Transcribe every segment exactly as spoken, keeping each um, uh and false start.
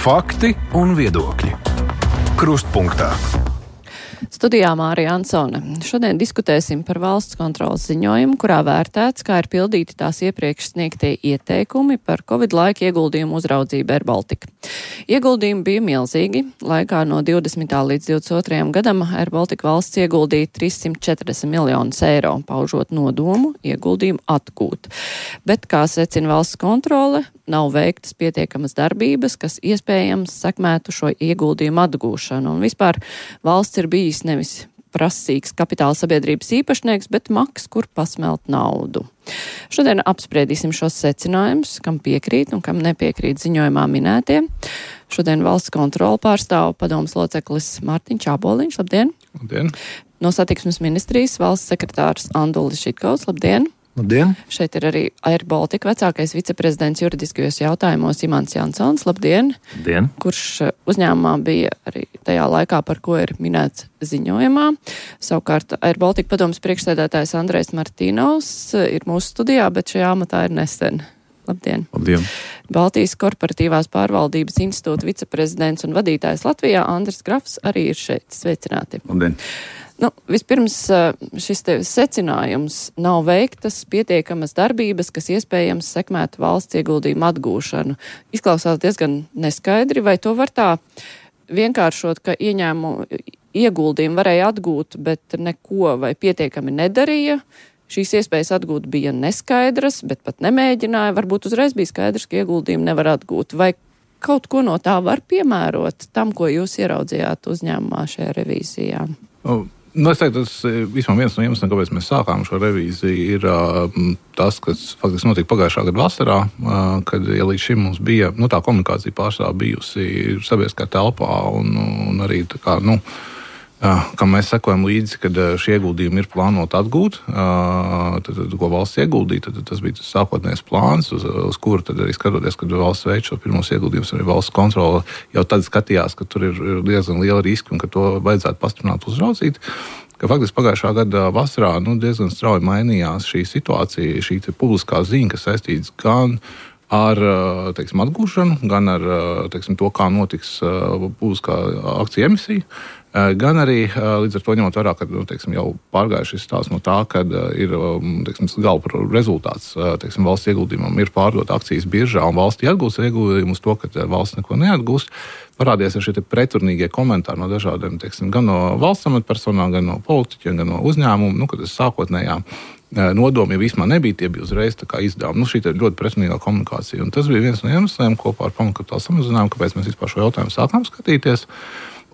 Fakti un viedokļi. Krustpunktā. Studijā Mārija Ansone. Šodien diskutēsim par valsts kontroles ziņojumu, kurā vērtēts, kā ir pildīti tās iepriekš sniegtie ieteikumi par Covid laika ieguldījumu uzraudzību Air Baltica. Ieguldījumi bija milzīgi. Laikā no divdesmitā līdz divdesmit otrajam gadam Air Baltica valsts ieguldīja trīssimt četrdesmit miljonus eiro, paužot nodomu ieguldījumu atgūt. Bet, kā secina valsts kontrole, nav veiktas pietiekamas darbības, kas iespējams sekmētu šo ieguldījumu atgūšanu. Un vispār valsts ir bijis nevis prasīgs kapitāla sabiedrības īpašnieks, bet maks, kur pasmelt naudu. Šodien apspriedīsim šos secinājumus, kam piekrīt un kam nepiekrīt ziņojumā minētie. Šodien valsts kontroli pārstāv padomes loceklis Mārtiņš Āboliņš. Labdien! Labdien! No satiksmes ministrijas valsts sekretārs Andulis Žitkovs. Labdien! Labdien! Šeit ir arī Air Baltica vecākais viceprezidents juridiskajos jautājumos Imants Jansons. Labdien! Labdien! Kurš uzņēmumā bija arī tajā laikā, par ko ir minēts ziņojumā. Savukārt Air Baltica padomes priekšsēdētājs Andrejs Martīnovs ir mūsu studijā, bet šajā amatā ir nesen. Labdien! Labdien! Baltijas korporatīvās pārvaldības institūta viceprezidents un vadītājs Latvijā Andris Grafs arī ir šeit. Sveicināti! Labdien! Nu, vispirms šis te secinājums nav veiktas pietiekamas darbības, kas iespējams sekmētu valsts ieguldījumu atgūšanu. Izklausās diezgan neskaidri, vai to var tā vienkāršot, ka ieņēmumu ieguldījumu varēja atgūt, bet neko vai pietiekami nedarīja. Šīs iespējas atgūt bija neskaidras, bet pat nemēģināja. Varbūt uzreiz bija skaidrs, ka ieguldījumu nevar atgūt. Vai kaut ko no tā var piemērot tam, ko jūs ieraudzījāt uzņēmumā šajā revīzijā? Oh. Nu, es teiktu, tas vismaz viens no iemesliem, kāpēc mēs sākām šo revīziju, ir uh, tas, kas faktiski notika pagājušā gada vasarā, uh, kad ja līdz šim mums bija, nu, tā komunikācija pārstāv bijusi sabiedriskā telpā un, un arī tā kā, nu, uh, kam mēs sekojam līdzi, kad šie ieguldījumi ir plānoti atgūt, uh, tad, tad, ko valsts ieguldīja, tad, tad tas bija tas sākotnējais plāns, uz, uz kuru tad arī skatoties, kad valsts veic šo pirmos ieguldījumus, arī valsts kontrole jau tad skatījās, ka tur ir diezgan liela riska un ka to vajadzētu pastiprināt uzraudzīt. Ka faktiski pagājušā gada vasarā nu, diezgan strauji mainījās šī situācija, šī publiskā ziņa, kas saistīts gan ar teiksim, atgūšanu, gan ar teiksim, to, kā notiks publiskā akciju emisija, gan arī līdz ar to ņemot vērā, ka nu, teiksim, jau pārgājuši šis stāsts no tā, ka ir teiksim, gala rezultāts teiksim, valsts ieguldījumam ir pārdot akcijas biržā un valsts iegūst ieguldījumu uz to, ka valsts neko neatgūst. Parādījās ar šie preturnīgie komentāri no dažādiem, teiksim, gan no valsts amatpersonām, gan no politiķiem, gan no uzņēmumu, nu, kad tas sākotnējā nodomi vismaz nebija, tie bija uzreiz tā kā izdevumi. Nu, šī ir ļoti pretrunīgā komunikācija. Un tas bija viens no iemesliem kopā ar pamatkapitāla samazinājumu, kāpēc mēs vispār šo jautājumu sākām skatīties.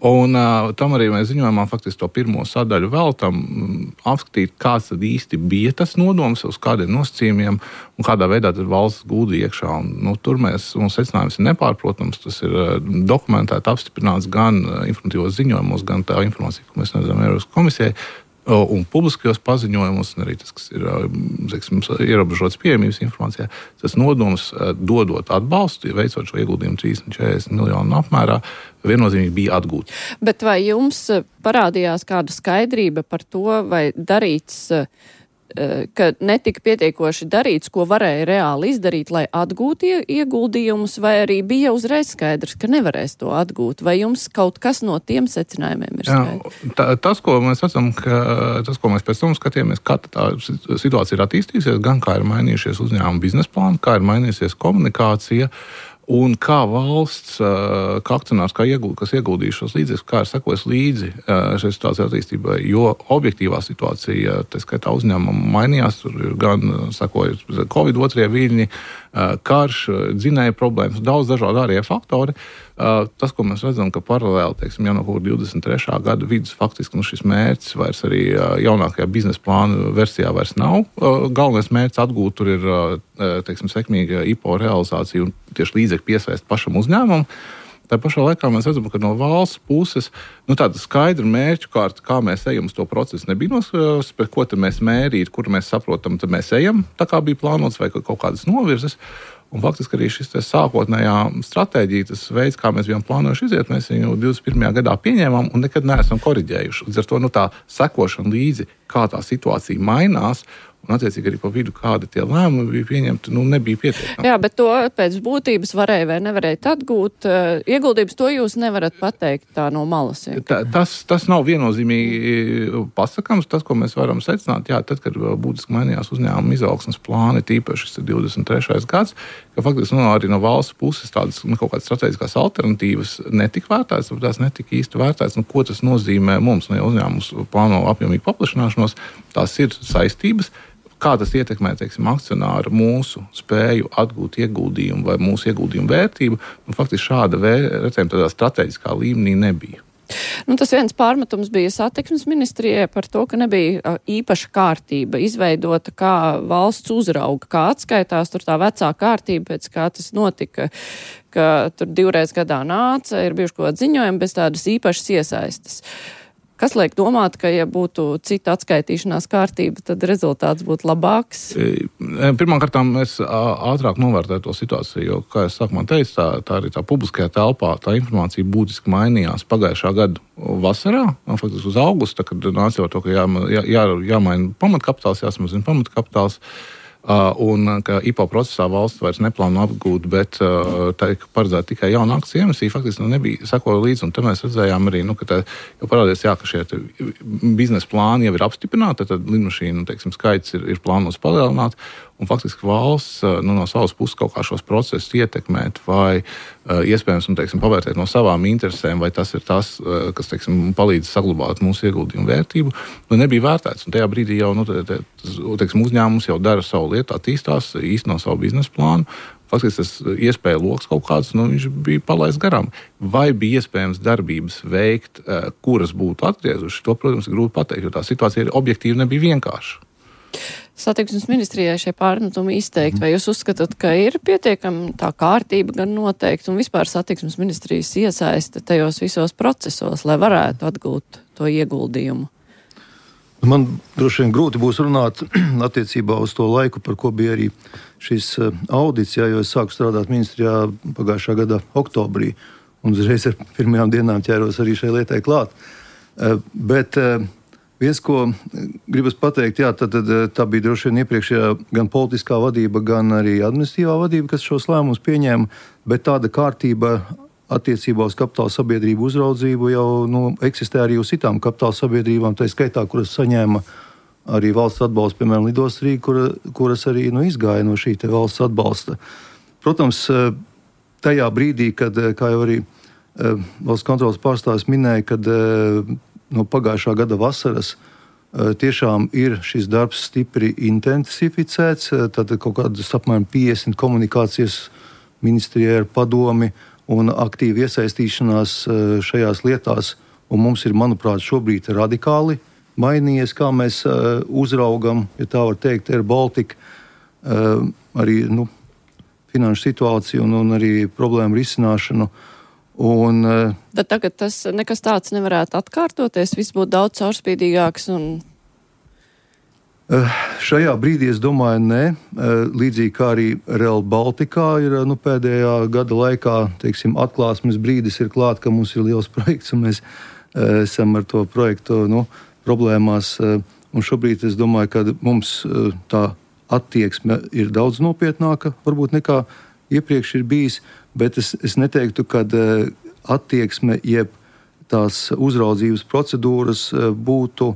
Un uh, tam arī mēs ziņojumā faktiski to pirmo sadaļu veltam apskatīt, kāds tad īsti bija tas nodoms, uz kādiem nosacījumiem un kādā veidā tad valsts gūdīja iekšā. Un, nu, tur mēs, mums secinājums ir nepārprotams, tas ir uh, dokumentēti, apstiprināts gan uh, informatīvos ziņojumos, gan tā informācija, ko mēs redzam Eiropas komisijai, un publiskajos paziņojumos, un arī tas, kas ir teiksim, ierobežots pieejamības informācijā, tas nodoms dodot atbalstu, veicot šo ieguldījumu trīsdesmit četrdesmit miljonu apmērā, viennozīmīgi bija atgūti. Bet vai jums parādījās kāda skaidrība par to, vai darīts, ka netika pietiekoši darīts, ko varēja reāli izdarīt, lai atgūtu ieguldījumus, vai arī bija uzreiz skaidrs, ka nevarēs to atgūt? Vai jums kaut kas no tiem secinājumiem ir skaidrs? Jā, tā, tas, ko mēs redzam, ka tas, ko mēs pēc tam skatījāmies, kā tā situācija ir attīstījusies, gan kā ir mainījušies uzņēmuma biznesa plāni, kā ir mainījusies komunikācija, un kā valsts, kā akcionārs, kā ieguld, kas ieguldīja šos līdzekļus, kā ir sekojis līdzi šai situācijas attīstībai, jo objektīvā situācija, tā skaitā uzņēmuma mainījās, tur ir gan sekojot Covid otrie viļņi, karš, dzinēja problēmas, daudz dažādi ārējie faktori. Tas, ko mēs redzam, ka paralēli, teiksim, jau no divdesmit trešā gada vidus faktiski nu, šis mērķis vairs arī jaunākajā biznesa plāna versijā vairs nav. Galvenais mērķis atgūt tur ir, teiksim, sekmīga I P O realizācija un tieši līdzekļu piesaist pašam uzņēmumam. Tā pašā laikā mēs redzam, ka no valsts puses nu, tāda skaidra mērķu kārta, kā mēs ejam uz to procesu, nebija noskaidrots, pēc ko tad mēs mērīt, kur mēs saprotam, tad mēs ejam, tā kā bija plānots vai kaut kādas novirzes. Un faktiski arī šis sākotnējā stratēģija, tas veids, kā mēs bijām plānojuši iziet, mēs viņu divdesmit pirmajā gadā pieņēmām un nekad neesam koriģējuši. Līdz ar to nu, tā sekošana līdzi, kā tā situācija mainās, un attiecīgi arī pa vidu kādi tie lēmumi bija pieņemti, nu nebija pietiekami. Jā, bet to pēc būtības varēja vai nevarēja atgūt. Ieguldījums to jūs nevarat pateikt tā no malas. Tā, tas, tas nav viennozīmīgi pasakams. Tas, ko mēs varam secināt, jā, tad, kad būtiski mainījās uzņēmuma izaugsmes plāni, tīpaši šis divdesmit trešais gads, ka faktiski nu, arī no valsts puses tādas nu, kaut kādas strateģiskās alternatīvas netika vērtētas, bet tās netika īsti vērtētas. Nu, ko tas nozīmē mums? Nu, ja uzņēmums plāno apjomīgu paplašināšanos, tās ir saistības. Kā tas ietekmē, teiksim, akcionāru mūsu spēju atgūt ieguldījumu vai mūsu ieguldījumu vērtību, un faktiski šāda vērtējuma tādā strateģiskā līmenī nebija. Nu, tas viens pārmetums bija satiksmes ministrijai par to, ka nebija īpaša kārtība izveidota, kā valsts uzrauga, kā atskaitās tur tā vecā kārtība, pēc kā tas notika, ka tur divreiz gadā nāca, ir bijuši kaut kādi ziņojumi bez tādas īpašas iesaistes. Kas liek domāt, ka, ja būtu cita atskaitīšanās kārtība, tad rezultāts būtu labāks? Pirmkārt, mēs ātrāk novērtētu to situāciju, jo, kā es sākumā teicu, tā, tā arī tā publiskajā telpā tā informācija būtiski mainījās pagājušā gada vasarā, faktiski uz augustu, kad nāca jau to, ka jā, jā, jāmaina pamatkapitāls, jāsamazina pamatkapitāls. Uh, un ka I P O procesā valsts vairs neplāno apgūt, bet uh, tā ir paredzēta tikai jauna akciju emisija, faktiski nu, nebija sekoja līdzi, un te mēs redzējām arī, nu, ka tā jau parādījās, jā, ka šie biznesa plāni jau ir apstiprināti, tad lidmašīnu, teiksim, skaits ir, ir plānos palielināt, un faktiski valsts nu, no savas puses kaut kā šos procesus ietekmēt vai uh, iespējams, nu, teiksim, pavērtēt no savām interesēm, vai tas ir tas, uh, kas, teiksim, palīdz saglabāt mūsu ieguldījumu vērtību, nu, nebija vērtēts, un tajā brīdī jau, nu, te, te, teiksim, uzņēmums jau dara savu lietu, attīstās, īsteno savu biznesa plānu. Faktiski tas iespēja loks kaut kāds, nu, viņš bija palaists garām. Vai bija iespējams darbības veikt, kuras būtu atgriezuši, to, protams, ir grūti pateikt, jo tā situācija objektīvi nebija vienkārša. Satiksmes ministrijai šie pārmetumi izteikti, vai jūs uzskatāt, ka ir pietiekami tā kārtība gan noteikti un vispār satiksmes ministrijas iesaiste tajos visos procesos, lai varētu atgūt to ieguldījumu? Man droši vien grūti būs runāt attiecībā uz to laiku, par ko bija arī šis audits, jā, jo es sāku strādāt ministrijā pagājušā gada oktobrī, un uzreiz ar pirmajām dienām ķēros arī šai lietai klāt. Bet viens, ko gribas pateikt, jā, tad, tad tā bija droši vien iepriekšējā gan politiskā vadība, gan arī administratīvā vadība, kas šos lēmumus pieņēma, bet tāda kārtība attiecībā uz kapitāla sabiedrību uzraudzību jau nu, eksistē arī uz citām kapitāla sabiedrībām, tā skaitā, kuras saņēma arī valsts atbalstu, piemēram, Lidosts Rīga, kura, kuras arī nu, izgāja no šī te valsts atbalsta. Protams, tajā brīdī, kad, kā jau arī valsts kontrolas pārstāvis minēja, kad no pagājušā gada vasaras tiešām ir šis darbs stipri intensificēts, tad kaut kādas apmēram piecdesmit komunikācijas ministrijai ar padomi un aktīvi iesaistīšanās šajās lietās, un mums ir, manuprāt, šobrīd radikāli mainījies, kā mēs uzraugam, ja tā var teikt, Air Baltica, arī nu, finanšu situāciju un, un arī problēmu risināšanu. Un, Bet tagad tas nekas tāds nevarētu atkārtoties, viss būtu daudz caurspīdīgāks un... Šajā brīdī es domāju, nē. Līdzīgi kā arī Rail Baltica ir nu, pēdējā gada laikā, teiksim, atklāsmes brīdis ir klāt, ka mums ir liels projekts un mēs esam ar to projektu nu, problēmās. Un šobrīd es domāju, ka mums tā attieksme ir daudz nopietnāka, varbūt nekā iepriekš ir bijis, bet es, es neteiktu, ka attieksme jeb tās uzraudzības procedūras būtu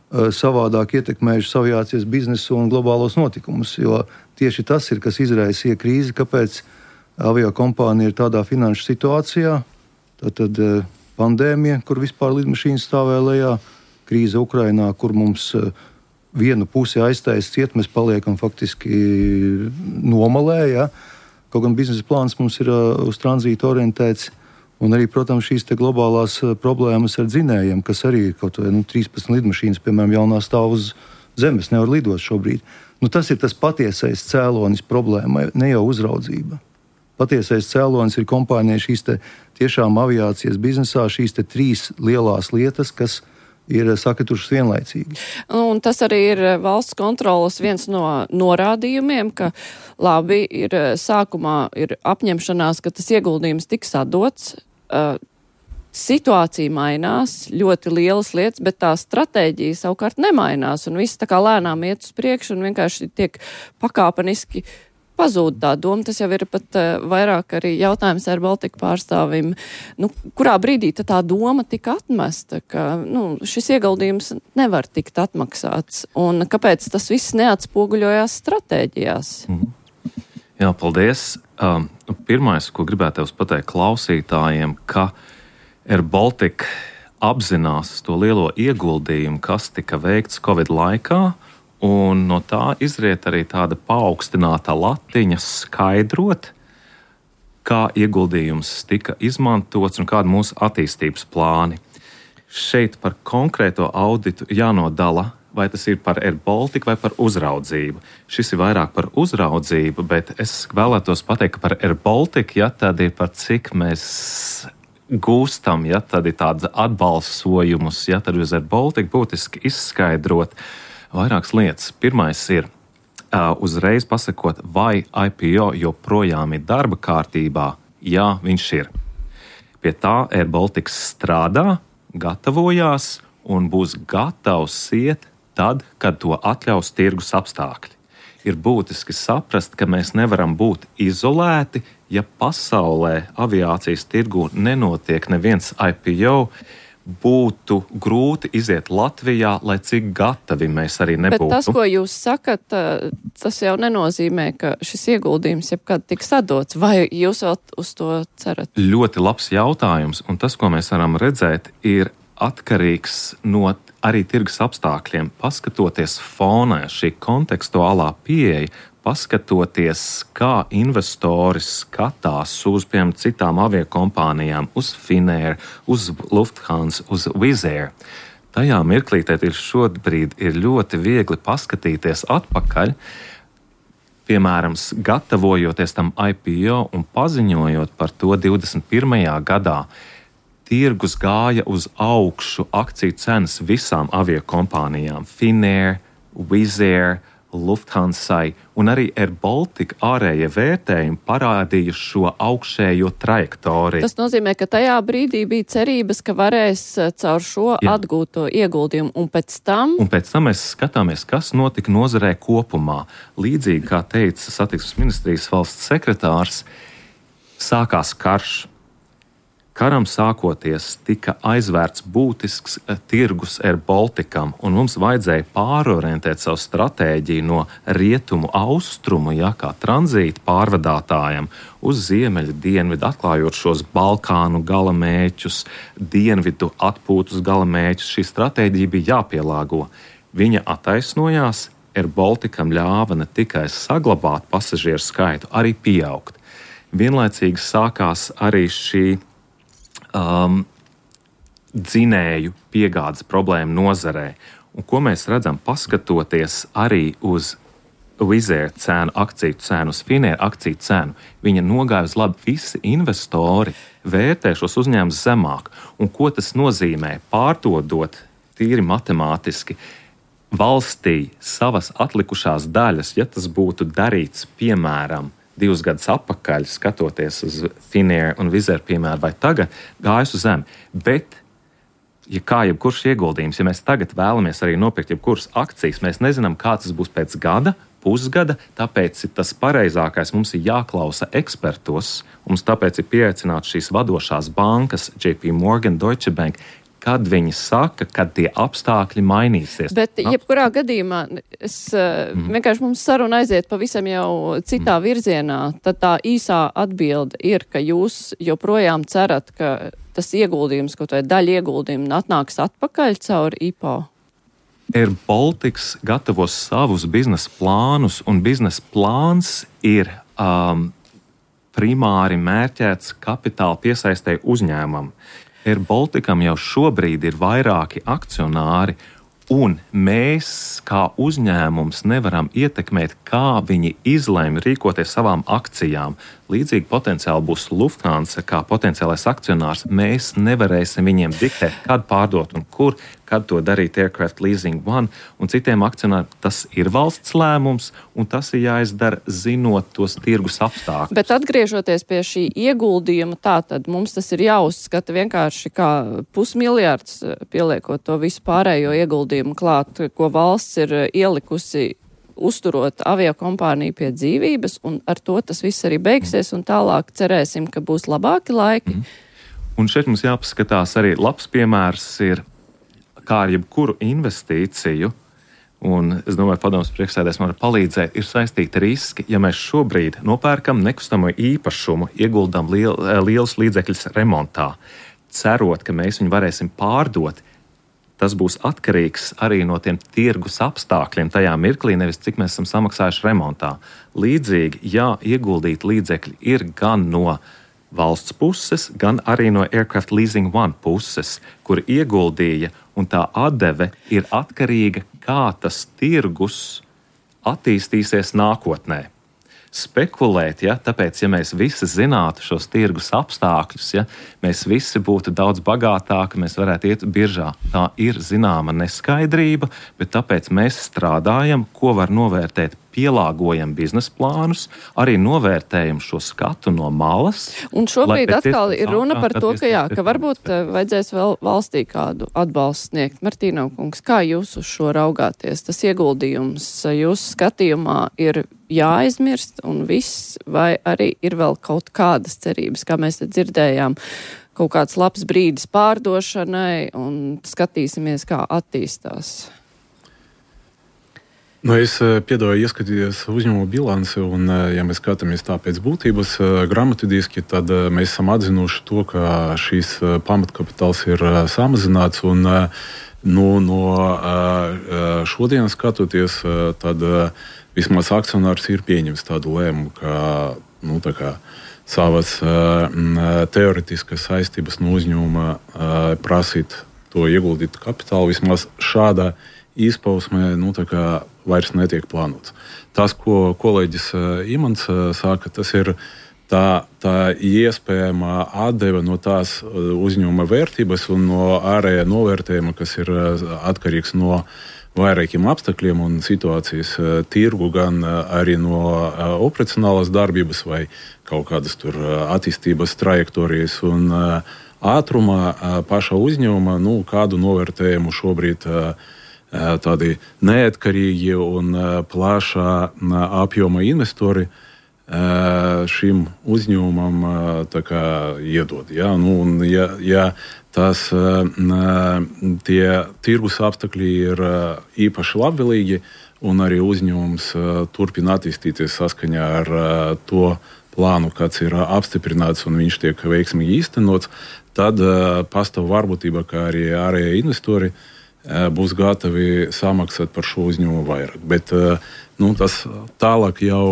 savādāk ietekmējuši aviācijas biznesu un globālos notikumus, jo tieši tas ir, kas izraisīja krīzi, kāpēc aviokompānija ir tādā finanšu situācijā, tātad pandēmija, kur vispār lidmašīnas stāvēja lejā, krīze Ukrainā, kur mums vienu pusi aiztais ciet, mēs paliekam faktiski nomalē, ja? Kaut gan biznesa plāns mums ir uz tranzītu orientēts, un arī, protams, šīs te globālās problēmas ar dzinējiem, kas arī kaut vai nu, trīspadsmit lidmašīnas, piemēram, jaunā stāv uz zemes, nevar lidot šobrīd. Nu, tas ir tas patiesais cēlonis problēmai, ne jau uzraudzība. Patiesais cēlonis ir kompānija šīs te tiešām aviācijas biznesā, šīs te trīs lielās lietas, kas ir sakritušas vienlaicīgi. Un tas arī ir valsts kontrolas viens no norādījumiem, ka labi ir sākumā ir apņemšanās, ka tas ieguldījums tiks atdots. Uh, Situācija mainās, ļoti lielas lietas, bet tā stratēģija savukārt nemainās, un viss tā kā lēnām iet uz priekšu un vienkārši tiek pakāpeniski pazūd tā doma. Tas jau ir pat uh, vairāk arī jautājums ar Baltiku pārstāvim. Nu, kurā brīdī tā doma tika atmesta, ka nu, šis ieguldījums nevar tikt atmaksāts, un kāpēc tas viss neatspoguļojās stratēģijās? Mm. Jā, paldies. Um, pirmais, ko gribētu tev pateikt klausītājiem, ka Air Baltica apzinās to lielo ieguldījumu, kas tika veikts Covid laikā, un no tā izriet arī tāda paaugstināta latiņa skaidrot, kā ieguldījums tika izmantots un kāda mūsu attīstības plāni. Šeit par konkrēto auditu jānodala, vai tas ir par Air Baltica vai par uzraudzību. Šis ir vairāk par uzraudzību, bet es vēlētos pateikt, ka par Air Baltica, ja tad ir par cik mēs gūstam, ja tad ir tāds atbalsojumus, ja tad uz Air Baltica būtiski izskaidrot vairākas lietas. Pirmais ir uh, uzreiz pasakot, vai I P O joprojām ir darba kārtībā. Jā, viņš ir. Pie tā Air Baltica strādā, gatavojās un būs gatavs iet tad, kad to atļaus tirgus apstākļi. Ir būtiski saprast, ka mēs nevaram būt izolēti, ja pasaulē aviācijas tirgu nenotiek neviens I P O, būtu grūti iziet Latvijā, lai cik gatavi mēs arī nebūtu. Bet tas, ko jūs sakat, tas jau nenozīmē, ka šis ieguldījums jebkad tiks atdots. Vai jūs vēl uz to cerat? Ļoti labs jautājums, un tas, ko mēs varam redzēt, ir atkarīgs no arī tirgus apstākļiem. Paskatoties fonā, šī kontekstuālā pieeja, paskatoties, kā investori skatās uz, piemēram, citām aviokompānijām, uz Finnair, uz Lufthansa, uz Wizz Air. Tajā mirklītē ir šobrīd ir ļoti viegli paskatīties atpakaļ, piemēram, gatavojoties tam I P O un paziņojot par to divdesmit pirmajā gadā. Tirgus gāja uz augšu akciju cenas visām aviokompānijām, Finnair, Wizz Air, Lufthansai, un arī Air Baltica ārējie vērtējumi parādīja šo augšējo trajektoriju. Tas nozīmē, ka tajā brīdī bija cerības, ka varēs caur šo Jā. atgūt to ieguldījumu, un pēc tam... Un pēc tam mēs skatāmies, kas notika nozarē kopumā. Līdzīgi, kā teica satiksmes ministrijas valsts sekretārs, sākās karš. Karam sākoties tika aizvērts būtisks tirgus Air Balticam, un mums vajadzēja pārorientēt savu stratēģiju no rietumu austrumu, ja, kā tranzīta pārvadātājam, uz ziemeļu dienvidu, atklājot šos Balkānu galamērķus, dienvidu atpūtus galamērķus. Šī stratēģija bija jāpielāgo. Viņa attaisnojās, Air Balticam ļāva ne tikai saglabāt pasažieru skaitu, arī pieaugt. Vienlaicīgi sākās arī šī Um, dzinēju piegādes problēmu nozarē. Un ko mēs redzam, paskatoties arī uz Wizz Air cenu, akciju cenu, uz Finnair akciju cenu, viņa nogāja uz labi. Visi investori vērtē šos uzņēmumus zemāk. Un ko tas nozīmē? Pārdodot tīri matemātiski valstī savas atlikušās daļas, ja tas būtu darīts, piemēram, divus gadus atpakaļ, skatoties uz Finnair un Wizz Air, piemēram, vai tagad, gājas uz zemi. Bet, ja kā jebkurš ieguldījums, ja mēs tagad vēlamies arī nopirkt jebkuras akcijas, mēs nezinām, kā tas būs pēc gada, pusgada, tāpēc ir tas pareizākais, mums ir jāklausa ekspertos, mums tāpēc ir pieaicināts šīs vadošās bankas, J P Morgan, Deutsche Bank, kad viņi saka, kad tie apstākļi mainīsies. Bet jebkurā gadījumā es, mm. vienkārši mums saruna aiziet pavisam jau citā mm. virzienā. Tad tā īsā atbilde ir, ka jūs joprojām cerat, ka tas ieguldījums, kaut vai daļa ieguldījuma atnāks atpakaļ caur I P O. Air Baltica gatavos savus biznesa plānus, un biznesa plāns ir um, primāri mērķēts kapitāla piesaistē uzņēmumam. Air Balticam jau šobrīd ir vairāki akcionāri, un mēs, kā uzņēmums, nevaram ietekmēt, kā viņi izlēma rīkoties savām akcijām. Līdzīgi potenciāli būs Lufthansa kā potenciālais akcionārs. Mēs nevarēsim viņiem diktēt, kad pārdot un kur, kad to darīt Aircraft Leasing One un citiem akcionāriem. Tas ir valsts lēmums, un tas ir jāizdara zinot tos tirgus apstākļus. Bet atgriežoties pie šī ieguldījuma, tā tad mums tas ir jāuzskata vienkārši kā pusmiljārds, pieliekot to visu pārējo ieguldījumu klāt, ko valsts ir ielikusi uzturot aviokompāniju pie dzīvības, un ar to tas viss arī beigsies, un tālāk cerēsim, ka būs labāki laiki. Mm. Un šeit mums jāpaskatās arī labs piemērs ir, kā ar jebkuru investīciju, un es domāju, padomus priekšsēdētājs man var palīdzēt, ir saistīti riski. Ja mēs šobrīd nopērkam nekustamo īpašumu, ieguldam liel, lielus līdzekļus remontā, cerot, ka mēs viņu varēsim pārdot, tas būs atkarīgs arī no tiem tirgus apstākļiem tajā mirklī, nevis cik mēs esam samaksājuši remontā. Līdzīgi, ja ieguldīt līdzekļi ir gan no valsts puses, gan arī no Aircraft Leasing One puses, kur ieguldīja, un tā atdeve ir atkarīga, kā tas tirgus attīstīsies nākotnē. Spekulēt, ja, tāpēc, ja mēs visi zinātu šos tirgus apstākļus, ja, mēs visi būtu daudz bagātāki, mēs varētu iet biržā. Tā ir zināma neskaidrība, bet tāpēc mēs strādājam, ko var novērtēt, pielāgojam biznesa plānus, arī novērtējam šo skatu no malas. Un šobrīd atkal ir runa par to, ka, jā, ka varbūt vajadzēs vēl valstī kādu atbalstu sniegt. Martīnov kungs, kā jūs uz šo raugāties? Tas ieguldījums jūsu skatījumā ir jāaizmirst un viss, vai arī ir vēl kaut kādas cerības, kā mēs te dzirdējām, kaut kāds labs brīdis pārdošanai un skatīsimies, kā attīstās? Nu, es piedāvāju ieskatīties uzņēmumu bilanci, un, ja mēs skatāmies tā pēc būtības grāmatvedīski, tad mēs esam atzinuši to, ka šīs pamatkapitāls ir samazināts, un nu, no šodienas skatoties, tad vismaz akcionārs ir pieņems tādu lēmumu, ka nu, tā kā savas teoretiskas saistības no uzņēmuma prasīt to ieguldīt kapitālu, vismaz šādā izpausmē nu, vairs netiek plānots. Tas, ko kolēģis Imants saka, tas ir tā, tā iespējamā atdeve no tās uzņēmuma vērtības un no ārējā novērtējuma, kas ir atkarīgs no vairākiem apstākļiem un situācijas tirgu, gan arī no operacionālās darbības vai kaut kādas tur attīstības trajektorijas un ātrumā paša uzņēmuma, nu, kādu novērtējumu šobrīd tādi neatkarīgi un plašā apjoma investori šim uzņēmumam kā, iedod. Ja? Nu, un, ja, ja tas, tie tirgus apstākļi ir īpaši labvēlīgi un arī uzņēmums turpina attīstīties saskaņā ar to plānu, kāds ir apstiprināts un viņš tiek veiksmīgi īstenots, tad pastāv varbūtība, ka arī ārējie investori būs gatavi samaksāt par šo uzņēmumu vairāk. Bet nu, tas tālāk jau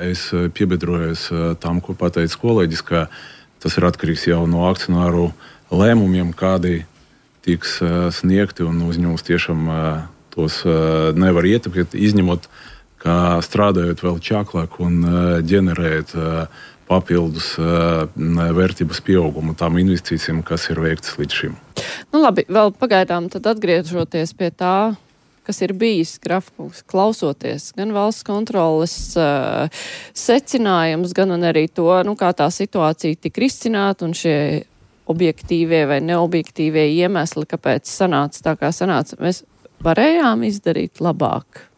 es piebiedrojos tam, ko pateica kolēģis, ka tas ir atkarīgs jau no akcionāru lēmumiem, kādi tiks sniegti, un uzņēmums tiešām tos nevar ietekmēt, izņemot, ka strādājot vēl čaklāk un ģenerējot papildus vērtības pieaugumu tām investīcijām, kas ir veiktas līdz šim. Nu labi, vēl pagaidām tad atgriežoties pie tā, kas ir bijis grafikus, klausoties gan valsts kontroles uh, secinājums, gan arī to, nu, kā tā situācija tika risināta un šie objektīvie vai neobjektīvie iemesli, kāpēc sanāca tā, kā sanāca. Mēs varējām izdarīt labāk.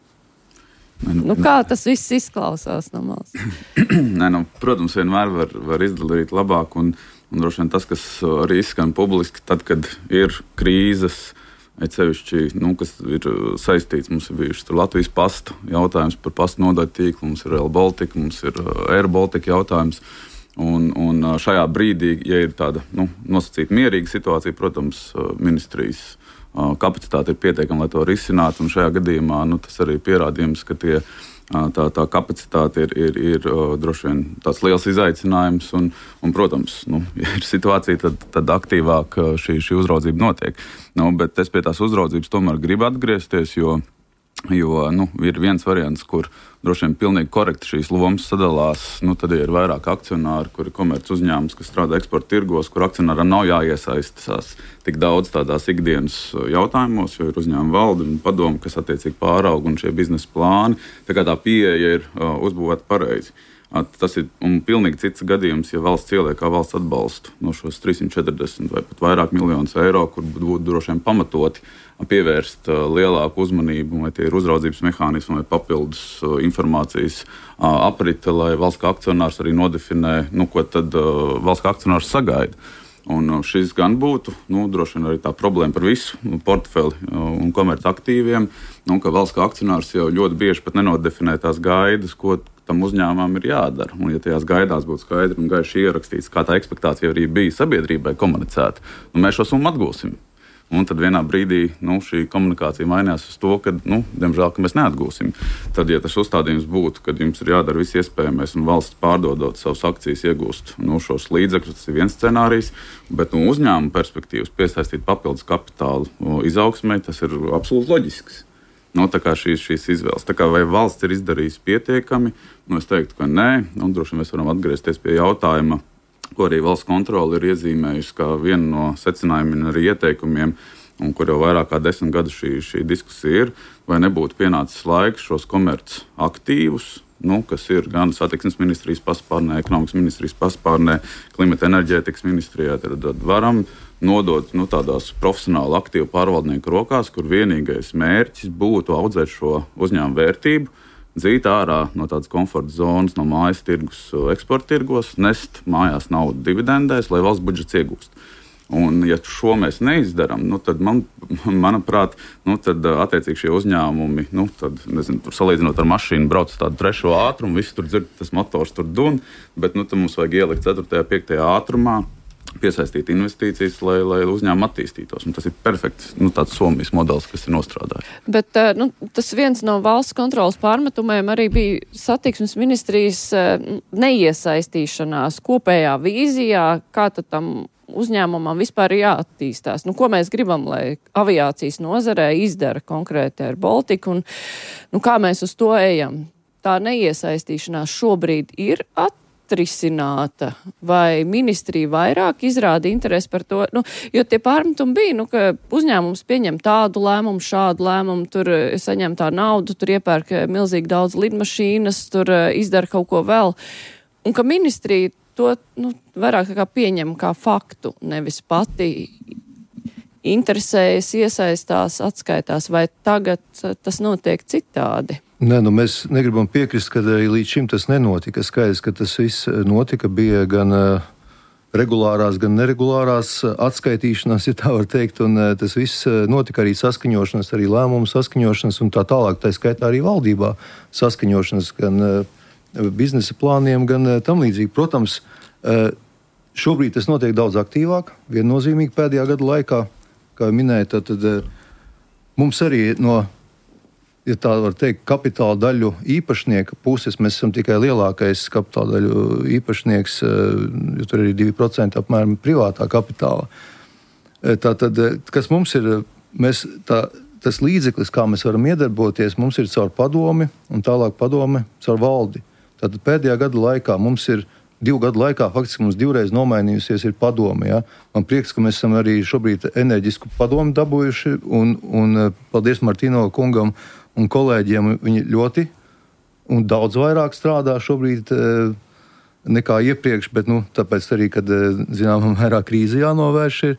Nu, kā tas viss izklausās no malas? Nē, nu, protams, vienmēr var, var izdarīt labāk, un, un droši vien tas, kas arī izskan publiski, tad, kad ir krīzes, cevišķi, nu, kas ir saistīts, mums ir bijuši Latvijas pasta jautājums par pastu nodaļu tīklu, mums ir Rail Baltica, mums ir Air Baltica jautājums, un, un šajā brīdī, ja ir tāda, nu, nosacīta mierīga situācija, protams, ministrijas kapacitāte ir pietiekama, lai to risinātu, un šajā gadījumā nu, tas arī pierādījums, ka tie, tā, tā kapacitāte ir, ir, ir droši vien tāds liels izaicinājums, un, un protams, nu, ja ir situācija, tad, tad aktīvāk šī, šī uzraudzība notiek. Nu, bet es pie tās uzraudzības tomēr gribu atgriezties, jo Jo nu, ir viens variants, kur droši vien pilnīgi korekti šīs lomas sadalās. Nu, tad ir vairāk akcionāri, kuri ir komerc uzņēmums, kas strādā eksporta tirgos, kur akcionāram nav jāiesaistās tik daudz tādās ikdienas jautājumos, jo ir uzņēmuma valde un padome, kas attiecīgi pārauga un šie biznesa plāni. Tā kā tā pieeja ir uh, uzbūvēta pareizi. Tas ir un pilnīgi cits gadījums, ja valsts ieliek kā valsts atbalstu no šos trīssimt četrdesmit vai pat vairāk miljonus eiro, kur būtu droši vien pamatoti pievērst lielāku uzmanību, vai tie ir uzraudzības mehānismi vai papildus informācijas aprite, lai valsts kā akcionārs arī nodefinē, nu, ko tad valsts kā akcionārs sagaida. Un šis gan būtu, nu, droši vien arī tā problēma par visu portfeli un komerc aktīviem, nu, ka valsts kā akcionārs jau ļoti bieži pat nenodefinē tās gaidas, ko tam uzņēmumam ir jādara. Un, ja tajās gaidās būtu skaidri un gaiši ierakstīts, kā tā ekspektācija arī bija sabiedrībai komunicēta, nu, mēs šo summu atgūsim. Un tad vienā brīdī nu, šī komunikācija mainās uz to, ka, nu, diemžēl, ka mēs neatgūsim. Tad, ja tas uzstādījums būtu, kad jums ir jādara viss iespējamais un valsts pārdodot savus akcijas iegūst nu, šos līdzekļus, tas ir viens scenārijs, bet no uzņēmuma perspektīvas piesaistīt papildus kapitālu izaugsmē, tas ir absolūti loģisks. Nu, tā kā šīs, šīs izvēles. Tā kā vai valsts ir izdarījusi pietiekami, nu, es teiktu, ka nē. Un droši vien mēs varam atgriezties pie jautājuma, ko arī valsts kontrole ir iezīmējusi kā vienu no secinājumiem un arī ieteikumiem, un kur jau vairāk kā desmit gadu šī, šī diskusija ir, vai nebūtu pienācis laiks šos komerc aktīvus, nu, kas ir gan satiksmes ministrijas paspārnē, ekonomikas ministrijas paspārnē, klimata enerģētikas ministrijā, tad, tad varam nodot nu, tādās profesionāli aktīvu pārvaldnieku rokās, kur vienīgais mērķis būtu audzēt šo uzņēmumu vērtību, dzīt ārā no tādas komforta zonas, no mājas tirgus, eksporta tirgos, nest mājās naudu dividendēs, lai valsts budžets iegūst. Un, ja šo mēs neizdarām, nu, tad, man, manuprāt, nu, tad attiecīgi šie uzņēmumi, nu, tad, nezinu, tur salīdzinot ar mašīnu, brauc uz tādu trešo ātrumu, viss tur dzird, tas motors tur dun, bet nu, tad mums vajag ielikt ceturtajā, piektajā ātrumā, piesaistīt investīcijas, lai, lai uzņēmumi attīstītos. Un tas ir perfekts nu, tāds Somijas modelis, kas ir nostrādājis. Bet nu, tas viens no valsts kontrolas pārmetumiem arī bija satiksmes ministrijas neiesaistīšanās kopējā vīzijā, kā tad tam uzņēmumam vispār ir jāattīstās. Nu, ko mēs gribam, lai aviācijas nozarē izdara konkrēti ar Baltiku un nu, kā mēs uz to ejam. Tā neiesaistīšanās šobrīd ir attīstās. Atrisināta, vai ministrija vairāk izrāda interesi par to, nu, jo tie pārmetumi bija, nu, ka uzņēmums pieņem tādu lēmumu, šādu lēmumu, tur saņem tā naudu, tur iepērk milzīgi daudz lidmašīnas, tur izdara kaut ko vēl, un ka ministrija to, nu, vairāk kā pieņem kā faktu, nevis pati interesējas, iesaistās, atskaitās, vai tagad tas notiek citādi? Nē, nu mēs negribam piekrist, ka arī līdz šim tas nenotika. Skaidrs, ka tas viss notika, bija gan uh, regulārās, gan neregulārās atskaitīšanās, ja tā var teikt, un uh, tas viss notika arī saskaņošanas, arī lēmumu saskaņošanas un tā tālāk, tā skaitā arī valdībā saskaņošanas, gan uh, biznesa plāniem, gan uh, tam līdzīgi. Protams, uh, šobrīd tas notiek daudz aktīvāk, viennozīmīgi pēdējā gada laikā, kā minēju, tad, tad uh, mums arī no ja tā var teikt, kapitāla daļu īpašnieka puses, mēs esam tikai lielākais kapitāla daļu īpašnieks, jo tur ir divi procenti apmēram privātā kapitāla. Tātad, kas mums ir, mēs, tā, tas līdzeklis, kā mēs varam iedarboties, mums ir caur padomi un tālāk padome caur valdi. Tātad pēdējā gada laikā mums ir, divu gadu laikā faktiski mums divreiz nomainījusies ir padome. Ja? Man prieks, ka mēs esam arī šobrīd enerģisku padomu dabūjuši un, un paldies Martino kungam un kolēģiem, viņi ļoti un daudz vairāk strādā šobrīd e, nekā iepriekš, bet nu, tāpēc arī, kad zināmā mērā krīze jānovērš ir,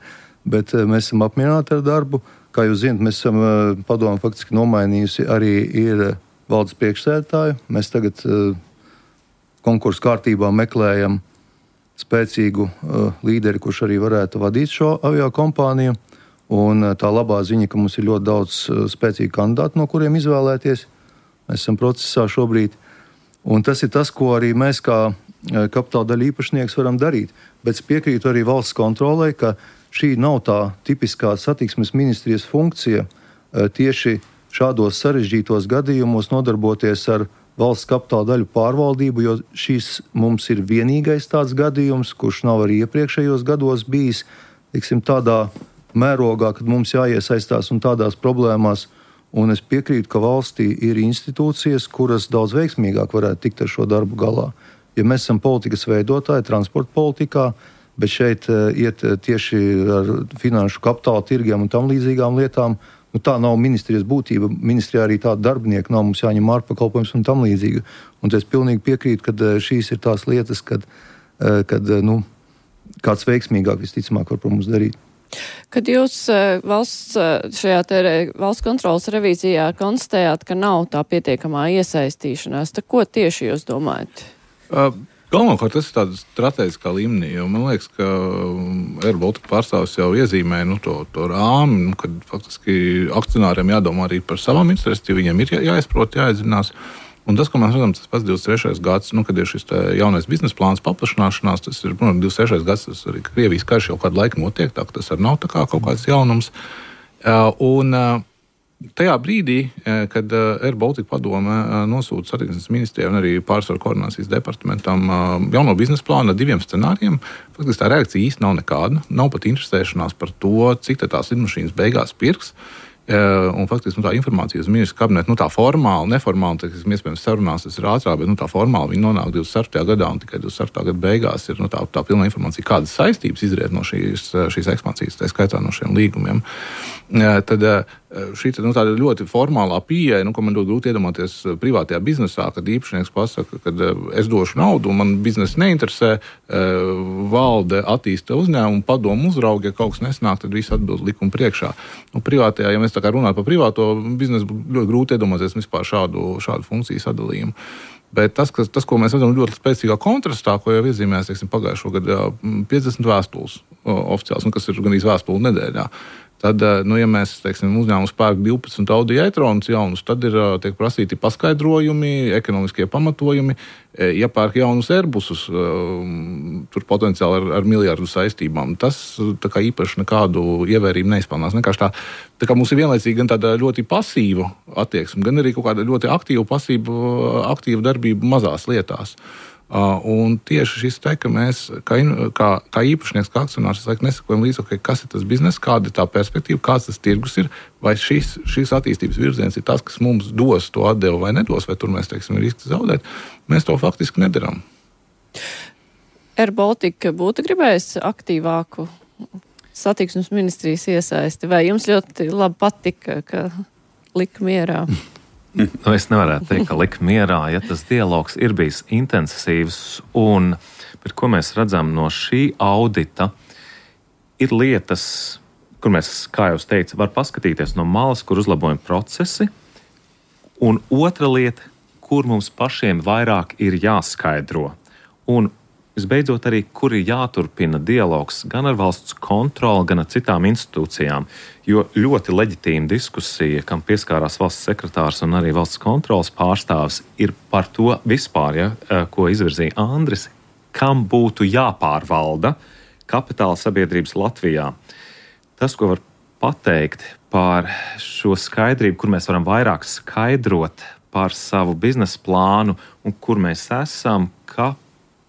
bet e, mēs esam apmierināti ar darbu. Kā jūs zināt, mēs esam e, padomu faktiski nomainījusi arī ir valdes priekšsēdētāju. Mēs tagad e, konkursu kārtībā meklējam spēcīgu e, līderi, kurš arī varētu vadīt šo aviokompāniju. Un tā labā ziņa, ka mums ir ļoti daudz spēcīgu kandidātu, no kuriem izvēlēties. Mēs esam procesā šobrīd. Un tas ir tas, ko arī mēs kā kapitāla daļu īpašnieks varam darīt. Bet es piekrītu arī valsts kontrolē, ka šī nav tā tipiskā satiksmes ministrijas funkcija tieši šādos sarežģītos gadījumos nodarboties ar valsts kapitāla daļu pārvaldību, jo šis mums ir vienīgais tāds gadījums, kurš nav arī iepriekšējos gados bijis, tiksim, tādā mērogā, kad mums jāiesaistās un tādās problēmās, Un es piekrītu, ka valstī ir institūcijas, kuras daudz veiksmīgāk varētu tikt ar šo darbu galā. Ja mēs esam politikas veidotāji, transporta politikā, bet šeit iet tieši ar finanšu kapitāla tirgiem un tam līdzīgām lietām, nu, tā nav ministrijas būtība. Ministrijā arī tāda darbinieka nav, mums jāņem ārpakalpojums un tam līdzīgi. Un es pilnīgi piekrītu, ka šīs ir tās lietas, kad, kad nu, kāds veiksmīgāk visticamāk var par mums darīt. Kad jūs valsts, šajā te valsts kontrolas revīzijā konstatējāt, ka nav tā pietiekamā iesaistīšanās, tad ko tieši jūs domājat? Uh. Galvenokārt tas ir tādā strateģiskā līmenī, jo man liekas, ka Air Baltica pārstāvis jau iezīmē nu, to, to rāmi, nu, kad faktiski akcionāriem jādomā arī par savām interesēm, viņiem ir jā, jāizprot, jāiedzinās. Un tas, ko mēs redzam, tas pats divdesmit trešais gads, nu, kad ir šis jaunais biznesa plāns paplašināšanās, tas ir, nu, divdesmit trešais gads, tas arī Krievijas karš jau kādu laiku notiek, tā ka tas arī nav tā kā kaut kāds jaunums. Un tajā brīdī, kad Air Baltica padome nosūta satiksmes ministrijai un arī pārsvaru koordinācijas departamentam jauno biznesa plānu ar diviem scenārijiem, faktiski tā reakcija īsti nav nekāda. Nav pat interesēšanās par to, cik tās lidmašīnas beigās pirks. Un faktiski nu, tā informācija uz ministru kabinetu, nu, tā formāli, neformāli, tas iespējams sarunās, tas ir ātrāk, bet nu, tā formāli viņi nonāk divdesmit ceturtajā gadā un tikai divdesmit ceturtajā gada beigās ir nu, tā, tā pilna informācija, kādas saistības izriet no šīs, šīs ekspansijas, tā skaitā no šiem līgumiem. Tad šī nu, tāda ļoti formālā pieeja, nu, ko man ļoti grūti iedomāties privātajā biznesā, kad īpašnieks pasaka, kad es došu naudu un man biznesa neinteresē, valde attīsta uzņēmumu, padomu uzrauga, ja kaut kas nesnāk, tad viss atbild likuma priekšā. Nu, privātajā, ja mēs tā kā runājam par privāto biznesu, ļoti grūti iedomāties vispār šādu, šādu funkciju sadalījumu. Bet tas, kas, tas, ko mēs redzam ļoti spēcīgā kontrastā, ko jau iezīmēs, teiksim, pagājušo gadu piecdesmit vēstules oficiāls, un kas ir gan īsti vēstule nedēļā. Tad, nu, ja mēs, teiksim, uzņēmums pērk divpadsmit Audi e-tronus jaunus, tad ir tiek prasīti paskaidrojumi, ekonomiskie pamatojumi. Ja pērk jaunus Airbusus, tur potenciāli ar, ar miljardu saistībām, tas tā kā īpaši nekādu ievērību neizpelnās. Vienkārši tā, tā kā mums ir vienlaicīgi gan tāda ļoti pasīva attieksme, gan arī kaut kāda ļoti aktīva, pasīva, aktīva darbība mazās lietās. Uh, un tieši šis te, ka mēs, kā, kā, kā īpašnieks, kā akcionārs, es laikam nesakojam līdz, okay, kas ir tas biznes, kāda ir tā perspektīva, kāds tas tirgus ir, vai šis, šis attīstības virziens ir tas, kas mums dos to atdevu vai nedos, vai tur mēs, teiksim, riski zaudēt, mēs to faktiski nedaram. Air Baltica būtu gribējis aktīvāku satiksmes ministrijas iesaisti, vai jums ļoti labi patika, ka lika mierā? Nu, es nevarētu teikt, ka lika mierā, ja tas dialogs ir bijis intensīvs, un bet ko mēs redzam no šī audita, ir lietas, kur mēs, kā jau teicu, var paskatīties no malas, kur uzlabojam procesi, un otra lieta, kur mums pašiem vairāk ir jāskaidro. Un visbeidzot arī, kur ir jāturpina dialogs gan ar valsts kontroli, gan ar citām institūcijām, jo ļoti leģitīma diskusija, kam pieskārās valsts sekretārs un arī valsts kontrolas pārstāvis, ir par to vispār, ja, ko izvirzīja Andris, kam būtu jāpārvalda kapitāla sabiedrības Latvijā. Tas, ko var pateikt par šo skaidrību, kur mēs varam vairāk skaidrot par savu biznesa plānu un kur mēs esam, ka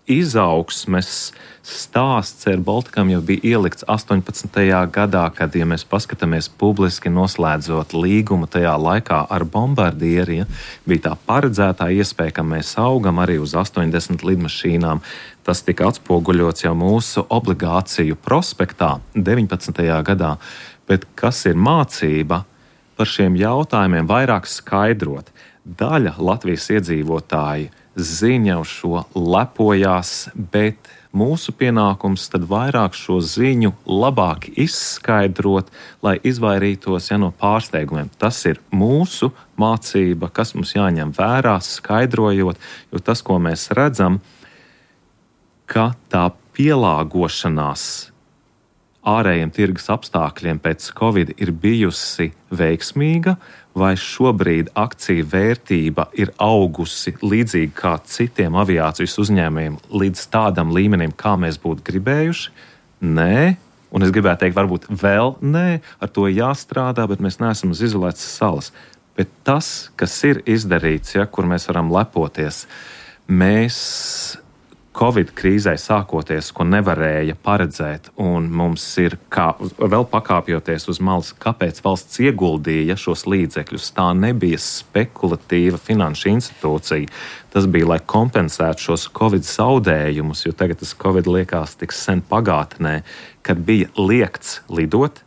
izaugsmes stāsts Air Balticam jau bija ielikts astoņpadsmitajā gadā, kad, ja mēs paskatāmies publiski noslēdzot līgumu tajā laikā ar Bombardieri, ja, bija tā paredzētā iespēja, ka mēs augam arī uz astoņdesmit lidmašīnām. Tas tika atspoguļots jau mūsu obligāciju prospektā deviņpadsmitajā gadā. Bet kas ir mācība par šiem jautājumiem vairāk skaidrot? Daļa Latvijas iedzīvotāji ziņa uz šo lepojās, bet mūsu pienākums tad vairāk šo ziņu labāk izskaidrot, lai izvairītos ja, no pārsteigumiem. Tas ir mūsu mācība, kas mums jāņem vērā, skaidrojot, jo tas, ko mēs redzam, ka tā pielāgošanās ārējiem tirgus apstākļiem pēc Covid ir bijusi veiksmīga, vai šobrīd akciju vērtība ir augusi līdzīgi kā citiem aviācijas uzņēmējiem līdz tādam līmenim, kā mēs būtu gribējuši? Nē, un es gribētu teikt, varbūt vēl nē, ar to jāstrādā, bet mēs neesam uz izolētas salas. Bet tas, kas ir izdarīts, ja, kur mēs varam lepoties, mēs Covid krīzē sākoties, ko nevarēja paredzēt, un mums ir, kā, vēl pakāpjoties uz malas, kāpēc valsts ieguldīja šos līdzekļus. Tā nebija spekulatīva finanšu institūcija. Tas bija, lai kompensētu šos Covid zaudējumus, jo tagad tas Covid liekas tik sen pagātnē, kad bija liegts lidot,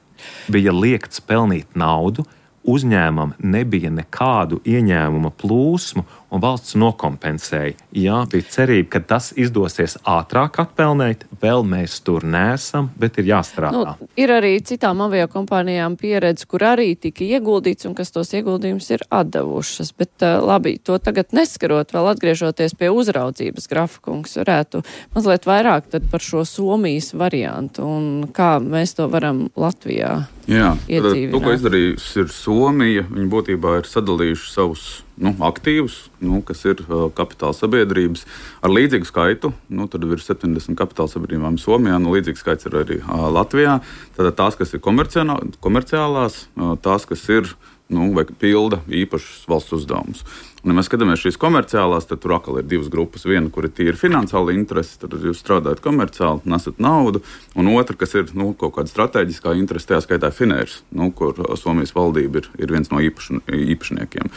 bija liegts pelnīt naudu, uzņēmumam nebija nekādu ieņēmuma plūsmu, un valsts nokompensēja. Jā, bija cerība, ka tas izdosies ātrāk atpelnēt, vēl mēs tur neesam, bet ir jāstrādā. Nu, ir arī citām aviokompānijām pieredze, kur arī tika ieguldīts un kas tos ieguldījumus ir atdevušas. Bet labi, to tagad neskarot, vēl atgriežoties pie uzraudzības, Grafakungs, varētu mazliet vairāk tad par šo Somijas variantu un kā mēs to varam Latvijā Jā, iedzīvināt. To, ko izdarījis ir Somija, viņi būtībā ir sadalījuši savus nu, aktīvus, nu, kas ir uh, kapitāla sabiedrības ar līdzīgu skaitu. Nu, tad ir septiņdesmit kapitāla sabiedrībām Somijā, nu, līdzīgs skaits ir arī uh, Latvijā. Tātad tās, kas ir komerciālās, uh, tās, kas ir nu, vai pilda īpašus valsts uzdevumus. Un, ja mēs skatāmies šīs komerciālās, tad tur atkal ir divas grupas. Viena, kur ir tīri finansiāli interesi, tad jūs strādājat komerciāli, nesat naudu. Un otra, kas ir nu, kaut kāda strateģiskā interese, tajā skaitā Finērs, nu, kur Somijas valdība ir, ir viens no īpaš, īpašniekiem.